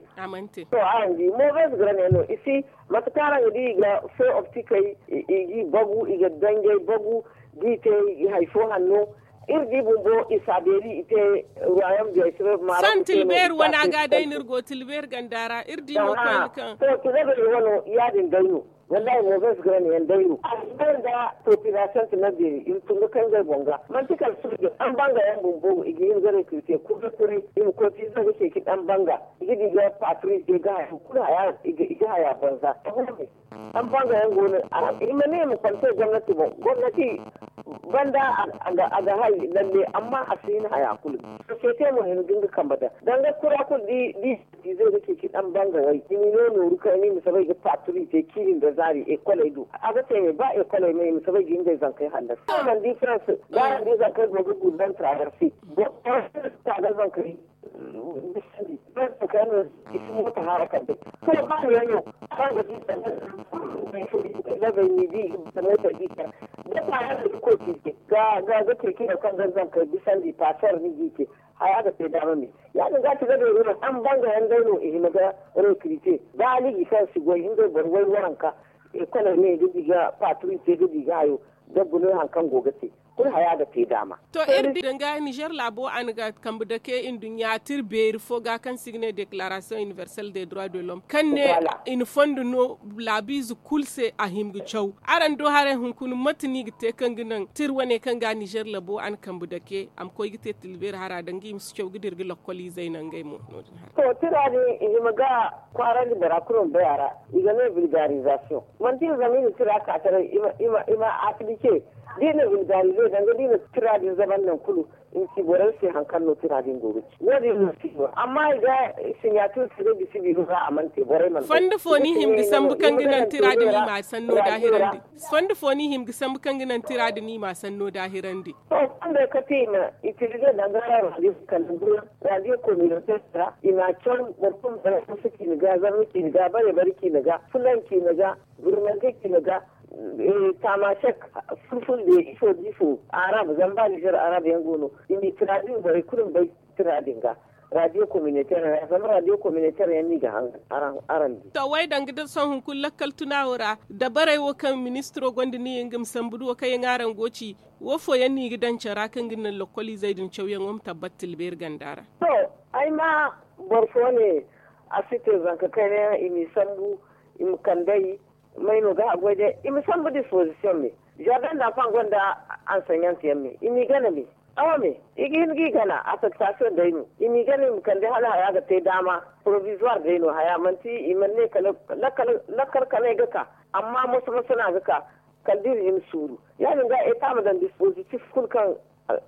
To araŋ di mobez grand yaŋ no i si mate kaŋ araŋ ga di i ga feu optikey i g'i bagu i ga danjey bagu. D'i te i hari fo hanno. Iri di bumbo i si a beeri i te ruwayam biyey se maaro. San tilbeeri wana ga day no iri go tilbeeri ganda ra iri di mo koyne kaŋ. To tilbeeri wano ya- din day no. Wallahi mobez grand yaŋ day no a si bay nda popilasiyoŋ ti na beeri i ma tun ga kay ngey boŋ ga manti kala soojey. Araŋ banga yaŋ bumbo i ga hin ga rekrite kuray kuray i ma koy fiiza ga ceeci araŋ banga. I ga di ga patri i ga haya kulu haya i ga haya banza. Araŋ banga yaŋ go no i ma ne i ma konte gomnati boŋ gomnati banda a ga hay lalle amma a si hin haya kulu. Sosiyete mo hin ga nga kambe daŋ danga kura kulu da i ga ceeci araŋ banga way i ma i no nooru kayna i ma soobay ga patri te ciiri nda zaari ekoley do a ga te me ba ekoley me i ma soobay ga ngey zankey hallasi. Araŋ mana di farans da araŋ di zankey go ga gurban traverse. Boro kaŋ ga zankey bisandi boro kaŋ no i si mooto haara kande. Sohõ ba yaŋ no kaŋ ga di labey ni di mootey di kar da paasar ni ga koy ciise ga ga ga ceeci no kaŋ ga zankey bisandi paasar ni ga i te. Haya ga te daama me ya- din ga ti labey no araŋ banga yaŋ day no i hima ga rekrite. Ba aliji kaŋ si goy ngey boro way waranka ekoley ne ga di ga paaturi te ga di ga hayo dabbu no hari kaŋ go ga te. Kulu haya ga te daama. To iri di danga nizer laabo a na ga kambe dake nduɲɲa tira beeri fo ga kaŋ se i ga ne declaration universelle de droit de l'homme kaŋ ne i na fondo no laabiize kulu se a hima ga caw. Araŋ do haray hunkuna mate no i ga te kaŋ ga naŋ tira wane kaŋ ga nizer laabo a na kambe dake a ma koy ga te tira beeri hara danga i ma si caw ga dira ga lokkol izey naŋ ngey mo no- din hara. To tira din i hima ga kwaarandi bora kulu ma bay a ra. I ga ne vulgarisation manti i zama i na tira ka taray i ma aplike. Da i na vulgarize danga da i na tira din zaban naŋ kulu i ma ci borey se hari kaŋ no tira din go ga ci wo- din no si no amma i ga sinyatir te ga gisi biiro ra a mana te borey mana bay. Fondo fo no i hima ga sambu kaŋ ga naŋ tira din i ma a sanno daahirandi? Fondo fo no i hima ga sambu kaŋ ga naŋ tira din i ma a sanno daahirandi? To fondey kate i ma itilize danga ra radio kala radio communautaire ra i ma a caw boro kulu ma bay a fo se ciina ga zarma ciina ga bare bare ciina ga fulan ciina ga birmante ciina ga. Tamasek fulfulde ifo da ifo arab zama ba nizer arab yaŋ go no i ma i tira din borey kulu ma bay tira din ga radio communautaire ra zama radio communautaire yaŋ no i ga hangan araŋ di. To way danga da sohõ hunkuna lakkal tuna wo ra dabarey wo kaŋ ministiro gonda ni nga ma sambu da wo kaŋ yaŋ araŋ go ci wo fooyaŋ no i ga daŋ care ra kaŋ ga naŋ lokkol izey din cawyaŋo ma tabbat tilbeeri ganda ra? To ay ma boro fo ne a si te zanka kayna yaŋ i m'i sambu i ma kand'ey may no ga haggoy day i ma sambu disposition me. Jardin d'enfant gonda ansenyant yaŋ me i m'i gana me. Awa me i ga hin g'i gana affectation day no i m'i gana i ma kande hala haya ga te daama provisoire day no haya manti i mana ne kala lakkal kanay ga ka. Amma moso moso no a ga ka kala da iri hima suuru ya- din ga eta ma daŋ dispositif kulu kaŋ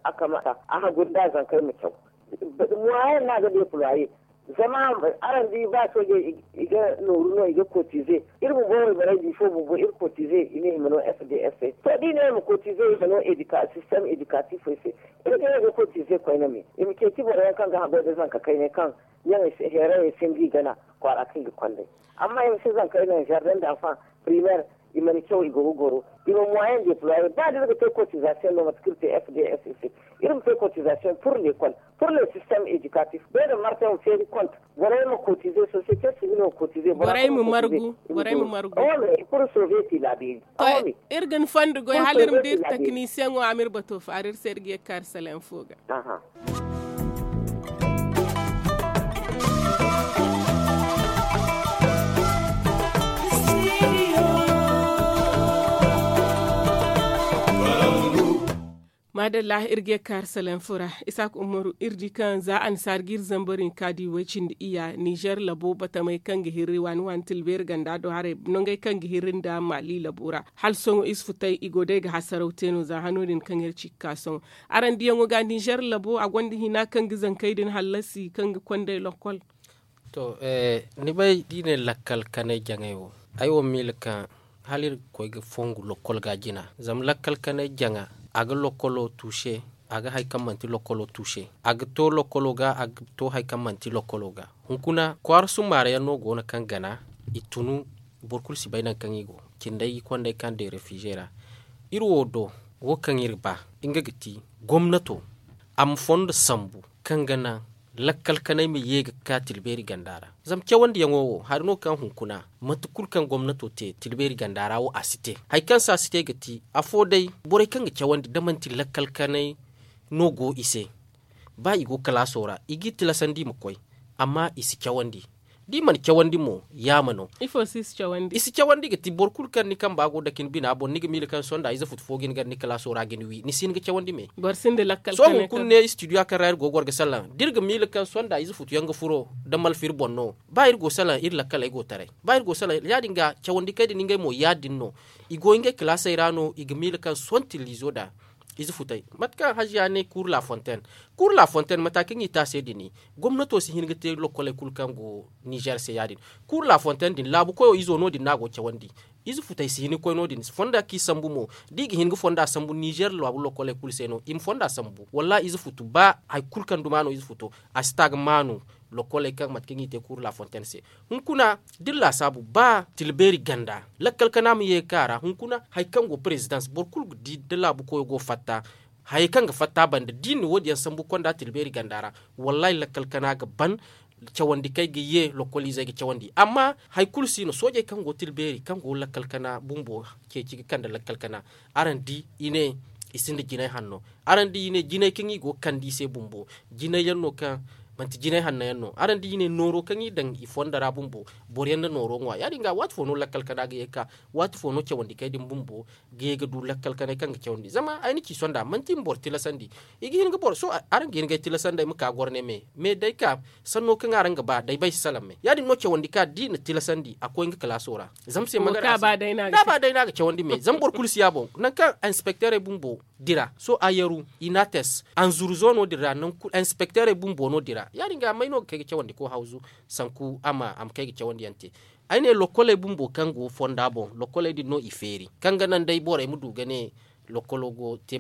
a kamata a haggoy da zankey ma caw. Moyen no a ga deploye. Zama araŋ di ba soojey i ga nooru no i ga kotize. Iri bumbo wayborey bifo bumbo iri kotize i ne i ma no fds se to da i ne i ma kotize i ma no system edukatifey se. Iri ga no ga kotize koyne me i ma ceeci boro yaŋ kaŋ ga haggoy da zanka kaynay kaŋ ɲaŋey se heerayey se nda i gana kwaara kaŋ i ga kond'ey. Amma i ma si zankey naŋ jardin d'enfant primaire i mana caw i go ga goro. I ma moyen deploye ba da iri ga te cotisation no mate kaŋ iri te fds se. Iri ma te cotisation pour l'école pour le système éducatif beene martin ma feeri compte. Borey ma cotiser société civile ma cotiser borey ma margu. Borey ma margu. Pour sauver ti labiri. Iri ga ni fondo goy hala iri ma dira technicien wo a ma iri bato faara iri se iri ga ye ga kaari salayaŋ fo ga. Iri ga ye ga ka iri salaŋ fo ra. Isaaka umaru, iri di kaŋ za annasaara ga iri zambar hinka di way cindi iyya ninzeer labo batamey kaŋ ga hirri waani waani tila beeri ganda do haray, nongey kaŋ ga hirri nda maali labo ra hala sohõ isufu tay i go day ga hasaraw te no za hano din kaŋ iri ci ga ka sohõ. Araŋ diyaŋo ga ninzeer labo a gonda hina kaŋ ga zankey din hallasi kaŋ ga kondey lokkol? To, ni bay da i ne lakkal kanay jaŋay wo, ay wo miila kaŋ hala iri ga koy ga fongu lokkol ga jina zama lakkal kanay jaŋa, a ga lokkolo tuuse, a ga hari kaŋ manti lokkolo tuuse, a ga to lokkolo ga, a ga to hari kaŋ manti lokkolo ga. Hunkuna kwaara summaara yaŋ no go no kaŋ gana i tunu. Boro kulu si bay nangu kaŋ i go cindey kondey kaŋ day refize ra. Iri wo do, wo kaŋ iri ba, nga ga ti gomnato a ma fondo sambu kaŋ ga naŋ lakkal kanay ma ye ga ka tilbeeri ganda ra. Zama cawandiyaŋo wo hari no kaŋ hunkuna, mate kulu kaŋ gomnato te tilbeeri ganda ra wo a si te. Hari kaŋ se a si te ga ti afo day, borey kaŋ ga cawandi da manti lakkal kanay no go i se, ba i go kalaaso ra i g'i tilasandi i ma koy, amma i si cawandi. Da i mana cawandi mo, yaama no. I si cawandi ga ti boro kulu kaŋ ni kamba go dake ni bina boŋ ni ga miila kaŋ sohõ da ize futu fo ga hin gar ni kalaaso ra ga ni wi ni si hin ga cawandi me. Sohõ hunkuna ne istidiyo kaŋ ra iri go ga war ga salaŋ da iri ga miila kaŋ sohõ da ize futu yaŋ ga furo, da malfa iri boŋ no. Ba iri go salaŋ iri lakkaley go taray, ba iri go salaŋ ya- din ga cawandi kay din ngey mo ya- din no. I go ngey kalaasey ra no i ga miila kaŋ sohõ tillizo da ize futey. Mate kaŋ haziya ne kuuru lafonten, kuuru lafonten mata kaŋ i te a se din, gomnato si hin ga te lokkoley kulu kaŋ go nizer se ya- din. Kuuru lafonten din laabu koyo izo no- din no a go ga cawandi. Ize futey si hin ga koy no- din fonda kaŋ i sambu mo, da i ga hin ga fonda sambu nizer laabu lokkoley kulu se no i ma fonda sambu wallaahi ize futu ba hari kulu kaŋ duma no ize futo, a si ta ga maanu. Lokkoley kaŋ mate kaŋ i te kuuru lafonten se, hunkuna da iri laasaabu ba tilbeeri ganda lakkal kana ma ye ga ka a ra hunkuna hari kaŋ go perezidans boro kulu ga di da laabu koyo go ga fatta. Hayey kaŋ ga fatta banda da i na wo- din yaŋ sambu konda tilbeeri ganda ra, wallaahi lakkal kana ga ban. Cawandi kaŋ ay ga ye lokkol izey ga cawandi amma hari kulu si no soojey kaŋ go tilbeeri kaŋ go lakkal kana bumbo ceeci ga kande lakkal kana. Araŋ di i ne i sinda jinay hanno. Araŋ di i ne jinay kaŋ i go ga kande i se bumbo jinay yaŋ no kaŋ manti jinay hanno yaŋ no araŋ di i ne nooro kaŋ i daŋ i fondo ra bumbo. Boro yaŋ na nooro ŋwa ya- din ga waati fo no lakkal kana ga ye ga ka waati fo no cawandi kay din bumbo ga ye ga du lakkal kanay kaŋ ga cawandi zama ay na ci sonda manti i ma boro tilasandi. I ga hin ga boro sohõ araŋ ga hin ga ay tilasandi ay ma ka goro ne me me day ka sanno kaŋ araŋ ga ba day ba ay si salaŋ me ya- din no cawandi ka da i na tilasandi a koy nga kalaaso ra. Zama se magana da a ba day no a ga cawandi me zama boro kulu si ya boŋ nangu kaŋ inspekterey bumbo dira sohõ a yaru i na a tes anzuru zo no- din ra nangu kulu inspekterey bumbo no dira ya- din ga may no ga kay ga cawandi ko hawzu sanku a ma kay ga cawandi yaŋ te. Ay ne lokkoley bumbo kaŋ go fonda boŋ lokkoley din no i feeri kaŋ ga naŋ day borey ma du ga ne lokkolo go te.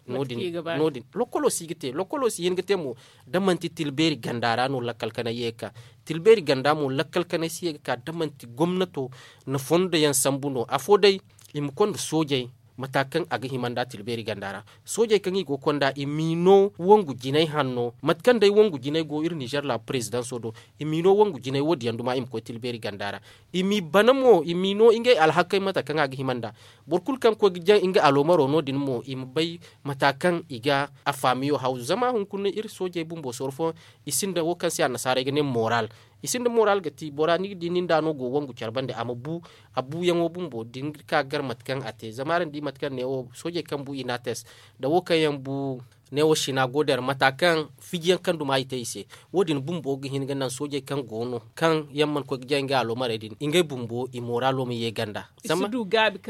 No- din lokkolo si ga te lokkolo si hin ga te mo da manti tilbeeri ganda ra no lakkal kanay ye ga ka. Tilbeeri ganda mo lakkal kanay si ye ga ka da manti gomnato na fondo yaŋ sambu no afo day i ma konda soojey mata kaŋ a ga hima nda tilbeeri ganda ra. Soojey kaŋ i go ga konda i m'i no wangu jinay hanno mate kaŋ day wangu jinay go iri nizer laabu perezidanso do i m'i no wangu jinay wo- din yaŋ duma i ma koy tilbeeri ganda ra. I m'i bana mo i m'i no ngey alhakey mate kaŋ a ga hima nda boro kulu kaŋ ga koy ga jaŋ nga aloomaro no- din mo i ma bay mata kaŋ i ga a faamiyo haw zama hunkuna iri soojey bumbo soro fooyaŋ i sinda wo kaŋ se annasaarey ga ne moral. I sinda moral ga ti bora ni ga di nin da no go wangu care bande a ma bu a buyaŋo bumbo da ni ga ka ga gar mate kaŋ a te zama araŋ di mate kaŋ ne wo soojey kaŋ bu i na a tes da wo kaŋ yaŋ bu ne wo sina go der mata kaŋ fiji yaŋ kaŋ duma i te i se. Wo- din bumbo ga hin ga naŋ soojey kaŋ go no kaŋ yaŋ mana koy ga jay ngey aloomarey din ngey bumbo i moralo ma ye ganda.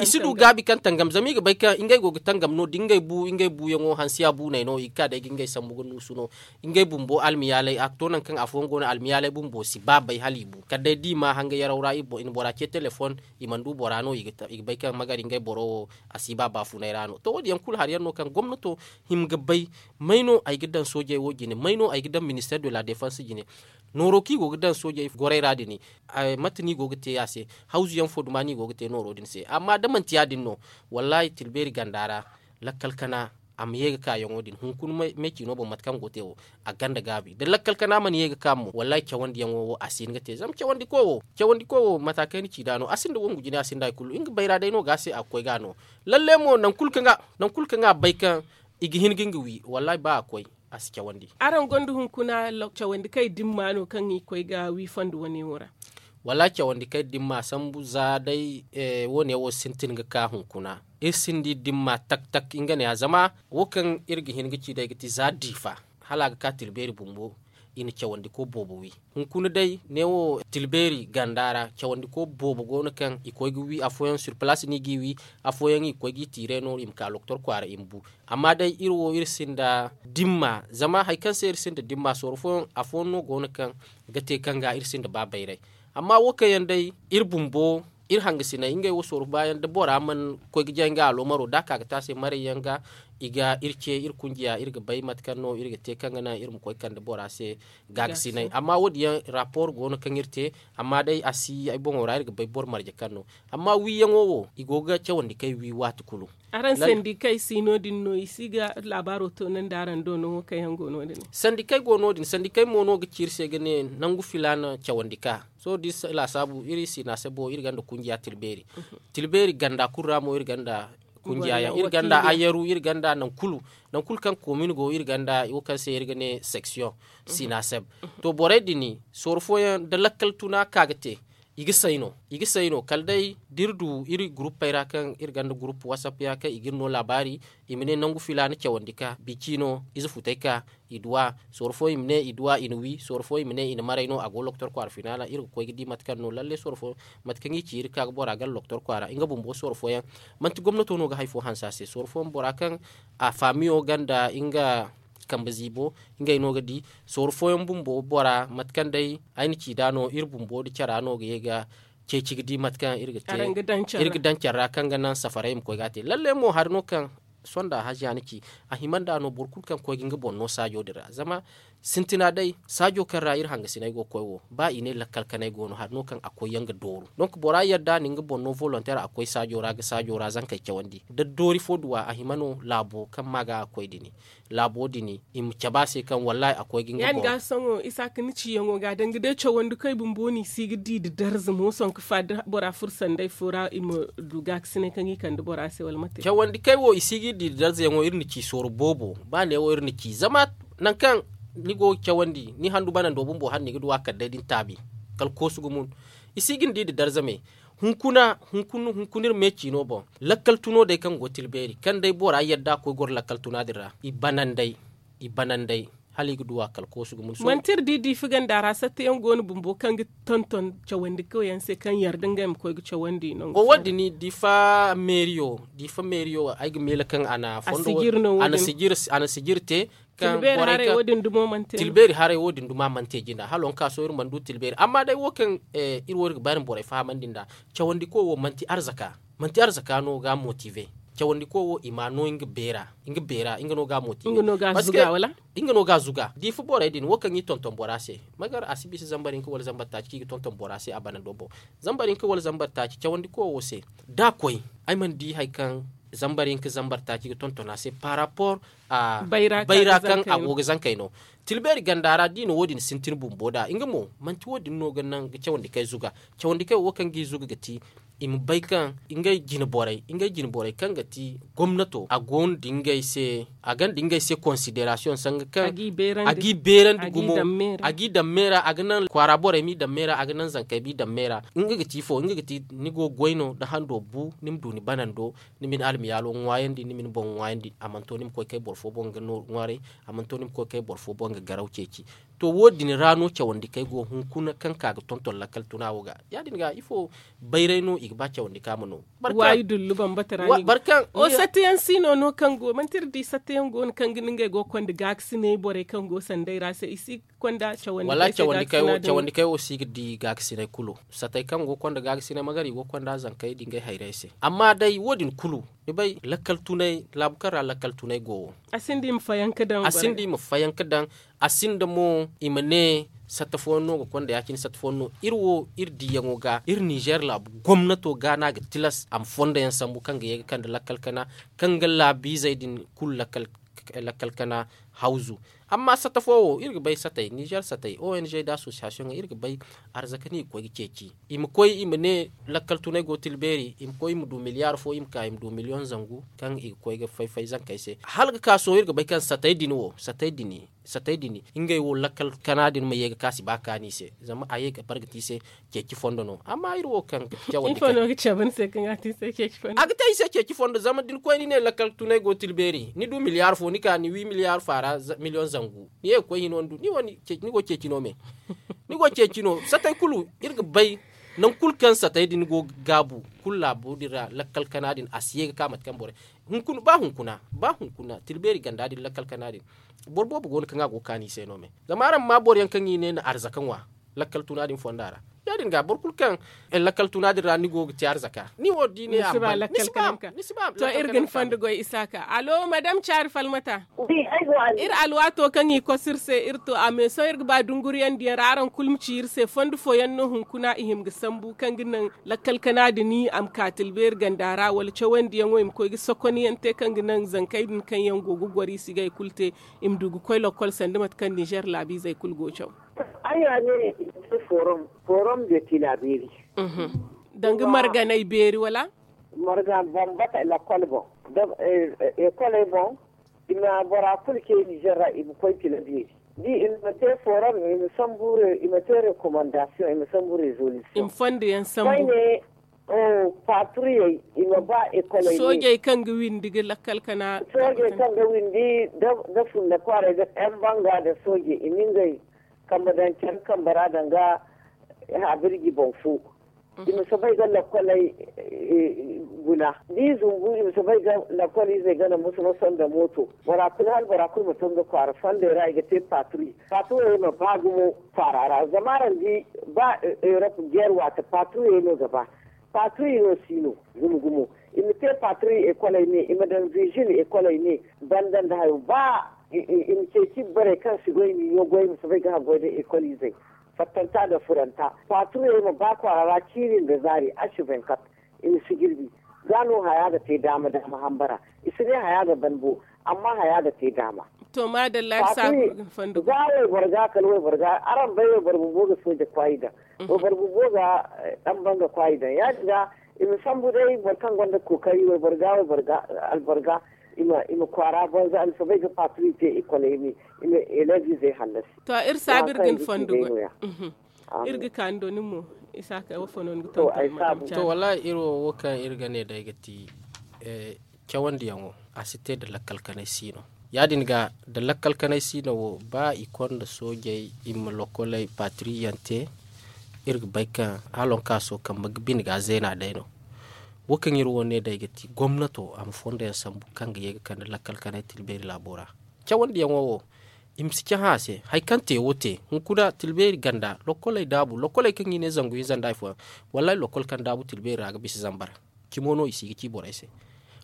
I si du gaabi kaŋ tangam zama i ga bay kaŋ ngey go ga tangam no da ngey bu ngey buyaŋo hansiya buney no i ga ka day ga ngey sambu ga nuusu no. Ngey bumbo almiyaalay a ga to nangu kaŋ afooyaŋ go no almiyaalay bumbo si ba bay hala i bu kala day da i ma hanga yaraw ra i na bora ce telefon. I mana du bora no i ga bay kaŋ magari ngey boro wo a si ba baafunay ra no to wo- din yaŋ kulu hari yaŋ no kaŋ gomnato hima ga bay. May no ay ga daŋ soojey wo jine may no ay ga daŋ minister de la defense jine? Nooro kaŋ i go ga daŋ soojey gorey ra din mate no i go ga te a se? Hawzu yaŋ fo duma no i go ga te nooro din se amma da manti ya- din no wallaahi tilbeeri ganda ra lakkal kana a ma ye ga ka yaŋo din hunkuna me ciino boŋ mate kaŋ go ga te wo. A ganda gaabi da lakkal kana mana ye ga ka mo wallaahi cawandiyaŋo wo a si hin ga te zama cawandi koy wo mata kaŋ ay na ci nd'a no a sinda wangu jinay a sinda hari kulu nga bayra day no ga a se a ga koy ga no. Lalle mo nangu kulu kaŋ a bay kaŋ i ga hin ga nga wi wallaahi ba a koy a si cawandi. Araŋ gonda hunkuna cawandi kaŋ i dimma no kaŋ i koy ga wi fondo wane wo ra? Wallaahi cawandi kaŋ iri dimma sambu za day. Wo- ne wo sintin ga ka hunkuna. Iri sinda iri dimma tak tak nga ne ya zama wo kaŋ iri ga hin ga ci day ga ti za diifa hala a ga ka tilbeeri bumbo. I na cawandiko boobo wi. Hunkuna day ne wo tilbeeri ganda ra cawandiko boobo go no kaŋ i koy ga wi afooyaŋ sur palaasi no i g'i wi. Afooyaŋ i ga koy g'i tiire no i ma ka loktor kwaara i ma bu. Amma day iri wo iri sinda dimma zama hari kaŋ se iri sinda dimma sooro fooyaŋ afooyaŋ no go no kaŋ ga te kaŋ ga iri sinda ba bayray. Amma wo kaŋ yaŋ day iri bumbo iri hangasinay ngey wo sooro baayaŋ da bora mana koy ga jay nga aloomaro da a ka ga te a se marayyaŋ ga i ga iri ce iri kunjiya iri ga bay mate kaŋ no iri ga te kaŋ ga naŋ iri ma koy kande bora se gaagasinay. Amma wo- din yaŋ rapor go no kaŋ iri te. Amma day a si ay boŋo ra iri ga bay boro marje kaŋ no. Amma wiiyaŋo wo i go ga cawandi kay wi waati kulu. Araŋ sandikey si no- din no i si ga laabaaro toonandi araŋ do no wo kaŋ yaŋ go no- din. Sandikey go no- din sandikey mo no ga ci iri se ga ne nangu filaana cawandi ka sohõ da iri si laasaabu iri siina se bo iri gonda kunjiya tilbeeri. Tilbeeri ganda kulu ra mo iri gonda kunjiya yaŋ iri gonda ayaru iri gonda naŋ kulu. Naŋ kulu kaŋ komin go iri gonda wo kaŋ se iri ga ne seksiyoŋ siina se. To borey din sooro fooyaŋ da lakkal tuna ka ga te i ga say no. I ga say no kala day da iri du iri guruppey ra kaŋ iri gonda gurupp wasapp ya kaŋ i ga iri no laabaari. I ma ne nangu filaana cawandi ka bici no ize futey ka i duw'a. Sooro fooyaŋ i ma ne i duw'a i na wi sooro fooyaŋ i ma ne i na maray no a go loktor kwaara finaala iri ga koy ga di mate kaŋ no lalle sooro fooyaŋ mate kaŋ i ci iri ka ga bora gana loktor kwaara nga bumbo sooro fooyaŋ. Manti gomnato no ga hari fo hanse a se sooro fooyaŋ bora kaŋ a faamiyo gonda nga kambe ziibo ngey no ga di. Sooro fooyaŋ bumbo bora mate kaŋ day ay na ci nd'a no iri bumbo nda cara no ga ye ga ceeci ga di mate kaŋ iri ga te iri ga daŋ care ra kaŋ ga naŋ safaray ma koy ga a te lalle mo hari no kaŋ sonda haziya na ci a hima nd'a no boro kulu kaŋ koy ga nga boŋ no saajo din ra zama sintina day saajo kaŋ ra iri hangasinay go ga koy wo ba i ne lakkal kanay go no hari no kaŋ a koy yaŋ ga dooru donk bora yadda na nga boŋ no volonter a koy saajo ra ga saajo ra zankey cawandi da doori fo duw'a a hima no laabo kaŋ ma ga a koy din laabo din i ma cabe a se kaŋ wallahi a koy ga nga boŋ. Ya- din ga sohõ isaaka ni ciyaŋo ga danga day cawandi kaŋ i bumbo no i si ga di nda darza mo sohõ ga fa da bora furo sanday fo ra i ma du gaakasinay kaŋ i kande bora se wala mate. Cawandi kaŋ ay wo i si ga iri di nda darza yaŋo iri na ci sooro boobo ba neewo iri na ci zama nangu kaŋ ni go ga cawandi ni handu banando bumbo hala ni ga du a kala day da ni taabi kala koosu gumo. I si ga ni di nda darza me. Hunkuna hunkuna iri me ciino boŋ lakkal tuno day kaŋ go tilbeeri kaŋ day bora yadda a koy goro lakkal tuna din ra i bananday. I bananday hala i ga duw'a kala koosu ga mun sohõ. Manti iri di diifa ganda ra satta yaŋ go no bumbo kaŋ ga tonton cawandi kaw yaŋ se kaŋ yarda ngey ma koy ga cawandi nangu wo- din diifa meeriyo diifa meeriyo ay ga meele kaŋ a na fondo a na sijiri te kaŋ tilbeeri haray wo- din dumo mana te jina hala waŋ ka sohõ iri mana du tilbeeri amma day wo kaŋ iri wo iri ga ba iri ma borey fahamandi nd'a. Cawandi koy wo manti arzaka manti arzaka no ga a motive. Cawandi koy wo i ma a no nga beera nga no ga a motive. Nga no ga a zuga diifa borey din wo kaŋ i tonton bora se magar a si bisa zambar hinka wala zambar taaci kaŋ i ga tonton bora se a bana do boŋ. Zambar hinka wala zambar taaci cawandi koy wo se da a koy ay mana di hari kaŋ zambar hinka zambar taaci ga tonton a se par rapport a bayra kaŋ a go ga zankey no. Tilbeeri ganda ra da i na wo- din sintin bumbo nd'a nga mo manti wo- din no ga naŋ ga cawandi kay zuga. Cawandi kay wo kaŋ g'i zuga ga ti i ma bay kaŋ ngey jine borey kaŋ ga ti gomnato a gonda ngey se a gonda ngey se konsiderasiyoŋ sanga kaŋ a g'i beerandi gumo a g'i daŋ me ra a ga naŋ kwaara borey m'i daŋ me ra a ga naŋ zankey m'i daŋ me ra. Nga ga ti ifo nga ga ti ni go ga goy no da hando bu ni ma du ni banando ni ma ni almiyaalo ŋwaayandi ni ma ni boŋ ŋwaayandi a mana to ni ma koy kay boro fo boŋ ga nooru ŋwaaray. A mana to ni ma koy kay boro fo boŋ ga garaw ceeci. To wo- din ra no cawandi kay go hunkuna kaŋ ka ga tonton lakkal tuna wo ga ya- din ga ifo bayray no i ga ba cawandi ka ma no. Waayi dullu bambata ra ni go. Barkaŋ o sattayaŋ si no no kaŋ go manti iri di sattayaŋ go no kaŋ ga ni ngey go ga konda gaakasinay borey kaŋ go sanday ra se i si ga konda cawandi kay wo si ga di gaakasinay kulu. Sattay kaŋ go ga konda gaakasinay magari i go ga konda zankey da ngey hayrey se amma day wo- din kulu ni bay lakkal tunay laabu kaŋ ra lakkal tunay go wo. A sinda i ma fayanka daŋ a sinda mo i ma ne satta fooyaŋ no ga konda ya- cine satta fooyaŋ no iri wo iri diyaŋo ga iri ninzeer laabu gomnato ga no a ga tilas a ma fondo yaŋ sambu kaŋ ga ye ga kande lakkal kana kaŋ ga laabiizey din kulu lakkal kana. hawzu. Amma sata fo wo iri ga bay satay nizer satay ong da asosiyasiyoŋ iri ga bay. Arzaka no i ga koy ga ceeci i ma koy i ma ne lakkal tunay go tilbeeri i ma koy i ma du miliyaar fo i ma ka i ma du miliyoŋ zangu kaŋ i ga koy ga fay-fay zankey se hala ga ka sohõ iri ga bay kaŋ satay din wo satay din satay din ngey wo lakkal kana din ma ye ga ka si ba kaani i se. Zama a ye ga bargati i se ceeci fondo no amma iri wo kaŋ ga cabe ni se kaŋ a te i se ceeci fondo a ga te i se ceeci fondo zama da ni koy ni ne lakkal tunay go tilbeeri ni du miliyaar fo ni ka ni wi miliyaar faara miliyoŋ zangu ni ye ga koy hino ni du ni go ceeci no me. Ni go ceeci no satay kulu iri ga bay. Nangu kulu kaŋ satay din go ga gaabu kulu laabo din ra lakkal kana din a si ye ga ka mate kaŋ borey ba hunkuna ba hunkuna tilbeeri ganda din lakkal kana din. Boro boobo go no kaŋ a go ga kaani i se no me zama araŋ ma boro yaŋ kaŋ i ne na arzaka ŋwa lakkal tuna din fonda ra. Ya- din ga boro kulu kaŋ lakkal tuna din ra ni go ga te arzaka ni wo da i ne a ma ban ni si ba. To iri ga ni fondo goy isaaka alo madam caari falmata. Iri alwaato kaŋ i kosu iri se iri to a meeso iri ga ba dunguriyaŋ diyaŋ ra araŋ kulu ma ci iri se fondo fooyaŋ no hunkuna i hima ga sambu kaŋ ga naŋ lakkal kana din a ma ka tilbeeri ganda ra wala cawandiyaŋo i ma koy ga sokoniyaŋ te kaŋ ga naŋ zankey din kaŋ yaŋ go ga goro i si ga hari kulu te. I ma du ga koy lakkol sanda mate kaŋ nizer laabiizey kulu go ga caw. Ay ya ne i ma te forom forom de tilabeeri. Danga marganay beeri wala? Marga bambata lakkol boŋ da ekoley boŋ. I ma bora kulu ce nizer ra i ma koy tilabeeri da i ma te forom i ma sambu i ma te rekomandasiyoŋ i ma sambu rezolisiyoŋ. Koyne patriyey i ma ba ekoley soojey kaŋ ga windi ga lakkal kana soojey kaŋ ga windi da funna kwaaray da yan banga da soojey i ma ngey kambe daŋ care kambe ra danga habirji boŋ fo. I ma soobay ga lakoley guna da i zumbu i ma soobay ga lakol izey gana musu musu nda mooto bora kulu hala bora kulu ma to nga kwaara fondey ra i ga te patruy. Patruy ma ba gumo kwaara ra zama araŋ di ba erop jeer waati patruy no ga ba. Patruy no si no gumo gumo. I ma te patruy ekoley ne i ma daŋ vizil ekoley ne banda nda hayo ba i ma ceeci borey kaŋ si goy miyo goy ma soobay ga haggoy nda ekol izey. Fattanta nda furanta. Paturey ma ba kwaara ra ciiri nda zaari asu venkat. I ma si jirbi za no haya ga te daama daama hambara. I si ne haya ga ban bo amma haya ga te daama. To maadalla iri saabu ga fondo ga za wayboro ga kala wayboro ga araŋ bay wayboro bumbo ga sooja kwaayi daŋ. Wayboro bumbo ga dan banga kwaayi daŋ ya- din ga i ma sambu day boro kaŋ gonda kookari wayboro ga wayboro ga alboro ga i ma kwaara banza i ma soobay ga paturi te i kolay ne. I ma elev izey hallasi. To iri saabu iri ga ni fondo goy. Iri ga ka ni do nin mo. Isaaka wo fo no ni ga tonton madam caari? To wallahi iri wo wo kaŋ iri ga ne day ga ti cawandiyaŋo a si te nda lakkal kanay si no. Ya- din ga nda lakkal kanay si no wo ba i konda soojey i ma lokoley patiriyaŋ te. Iri ga bay kaŋ hala waŋ kaaso kambe ga bine ga a zeena day no. Wo kaŋ iri wo ne day ga ti gomnato a ma fondo yaŋ sambu kaŋ ga ye ga kande lakkal kanay tilbeeri laabo ra. Cawandiyaŋo wo i ma si cahã a se hari kaŋ te wo te hunkuna tilbeeri ganda lokoley daabu lokoley kaŋ i ne zangu hinza nda hari fooyaŋ. Wallahi lokol kaŋ daabu tilbeeri ra ga bisa zambar. Cimo no i si ga ci borey se.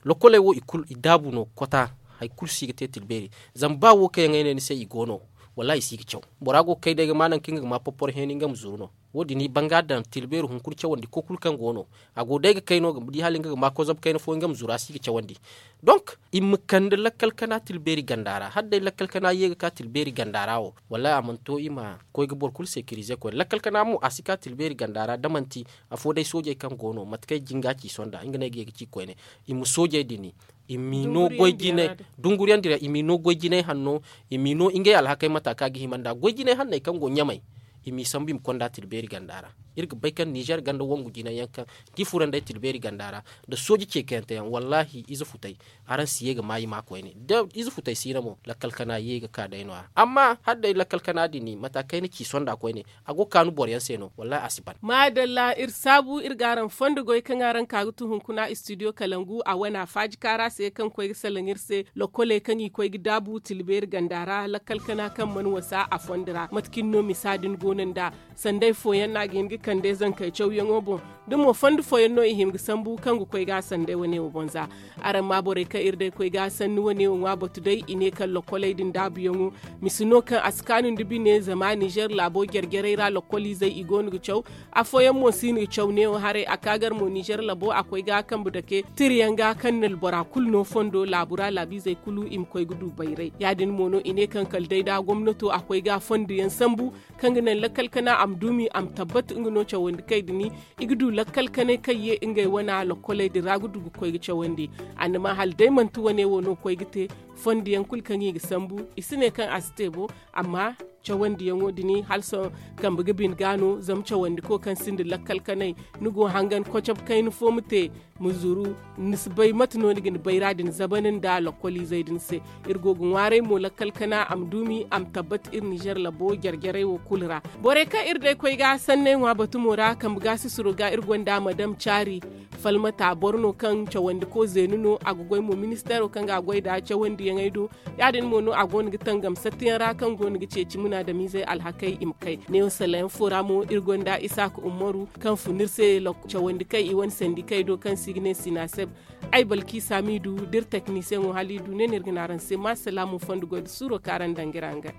Lokoley wo i kulu i daabu no kota. Hari kulu si ga te tilbeeri. Zama ba wo kaŋ yaŋ ay ne ni se i go no. Wallahi i si ga caw. Bora go ga kay day ga ma nangu kaŋ nga ga ma porporo heeni nga ma zuru no. Wo- din i banga daŋ tilbeeri hunkuna cawandi ko kulu kaŋ go no. A go day ga kay no ga di hala nga ga ma kozab kayna fo nga ma zuru a si ga cawandi. Donk i ma kande lakkal kana tilbeeri ganda ra hala day lakkal kana ye ga ka tilbeeri ganda ra wo. Wallahi a mana to i ma koy ga boro kulu sekirize koyne lakkal kana mo a si ka tilbeeri ganda ra da manti afo day soojey kaŋ go no mate kaŋ ay jinga ci sonda nga no ay ga ye ga ci koyne. I ma soojey din i m'i no goy jinay dunguriyaŋ dira i m'i no goy jinay hanno. I m'i no ngey alhakey mata kaŋ a ga hima nd'a goy jinay hanney kaŋ go ɲamey. I m'i sambu i ma konda tilbeeri ganda ra. Iri ga bay kaŋ nizer ganda wangu jinay yaŋ kaŋ da i furo nd'ey tilbeeri ganda ra nda sooje ceekayante yaŋ wallahi ize futey. Araŋ si ye ga ma i ma koyne da ize futey siina mo lakkal kana ye ga ka day no- ya amma hala day lakkal kana din mata kayna ci sonda koyne. A go ga kaanu boro yaŋ se no wallahi a si ban. Maadalla iri saabu iri ga araŋ fondo goy kaŋ araŋ ka ga tu hunkuna istidiyo kalangu a wane a faaji kaara se kaŋ koy ga salaŋ iri se. Lokoley kaŋ i koy ga daabu tilbeeri ganda ra lakkal kana kaŋ mana wasa a fondo ra mate kaŋ ni no misa din go no nd'a. Sanday fooyaŋ no a ga hin ga kande zankey cawyaŋo boŋ. Da mo fondo fooyaŋ no i hima ga sambu kaŋ ga koy ga a sanday wane wo boŋ za. Araŋ ma borey kaŋ iri day koy ga a sanni wane wo ŋwa batu day i ne kaŋ lokkoley din daabuyaŋo misi no kaŋ a si kaanu nda bine zama ninzeer laabo jare-jarey ra lokkoliizey i go no ga caw. Afooyaŋ mo si hin ga caw neewo haray a ka gar mo ninzeer labo a koy ga a kambe dake tirayaŋ ga kaŋ na bora kulu no fondo laabu ra laabiizey kulu i ma koy ga du bayray ya- din mo no i ne kaŋ kala day da gomnato a koy ga fondo yaŋ sambu kaŋ ga naŋ lakkal kana a ma duumi a ma tabbat nga no cawandi kay din. I ga du lakkal kanay kaŋ ye ngey wana lokkoley din ra ga du ga koy ga cawandi. Annama hala day manti wane wo no koy ga te fondo yaŋ kulu kaŋ i ga sambu i si ne kaŋ a si te bo. Amma cawandiyaŋo din hala sohõ kambe ga bine ga no zama cawandiko kaŋ sinda lakkal kanay ni go hangan kocab kayna fo ma te ma zuru. Ni si bay mate no ni ga ni bayra din zabana nda lokkoliizey din se. Iri go ga ŋwaaray mo lakkal kana a ma duumi a ma tabbat iri nizer labo jare-jarey wo kulu ra. Borey kaŋ iri day koy ga sanney ŋwa batumo ra kambe ga sisiro ga iri gonda madam caari falmata boro no kaŋ cawandiko zeeni no a ga goy mo ministeero kaŋ ga a goy nda cawandiyaŋey do. Ya- din mo no a go no ga tangam sattiyaŋ ra kaŋ go no ga ceeci munaadamiizey alhakey i ma kay neewo salayaŋ fo ra mo iri gonda isaaka ummaru kaŋ fun iri se cawandi kay i wane sandikey do kaŋ se i ga ne sinaseb. Ay balki saamiidu da iri teknisiyaŋo hala i du ne no iri ga ne araŋ se ma salaamu fondo goy nda suuro kaŋ araŋ daŋ ga iri hangan.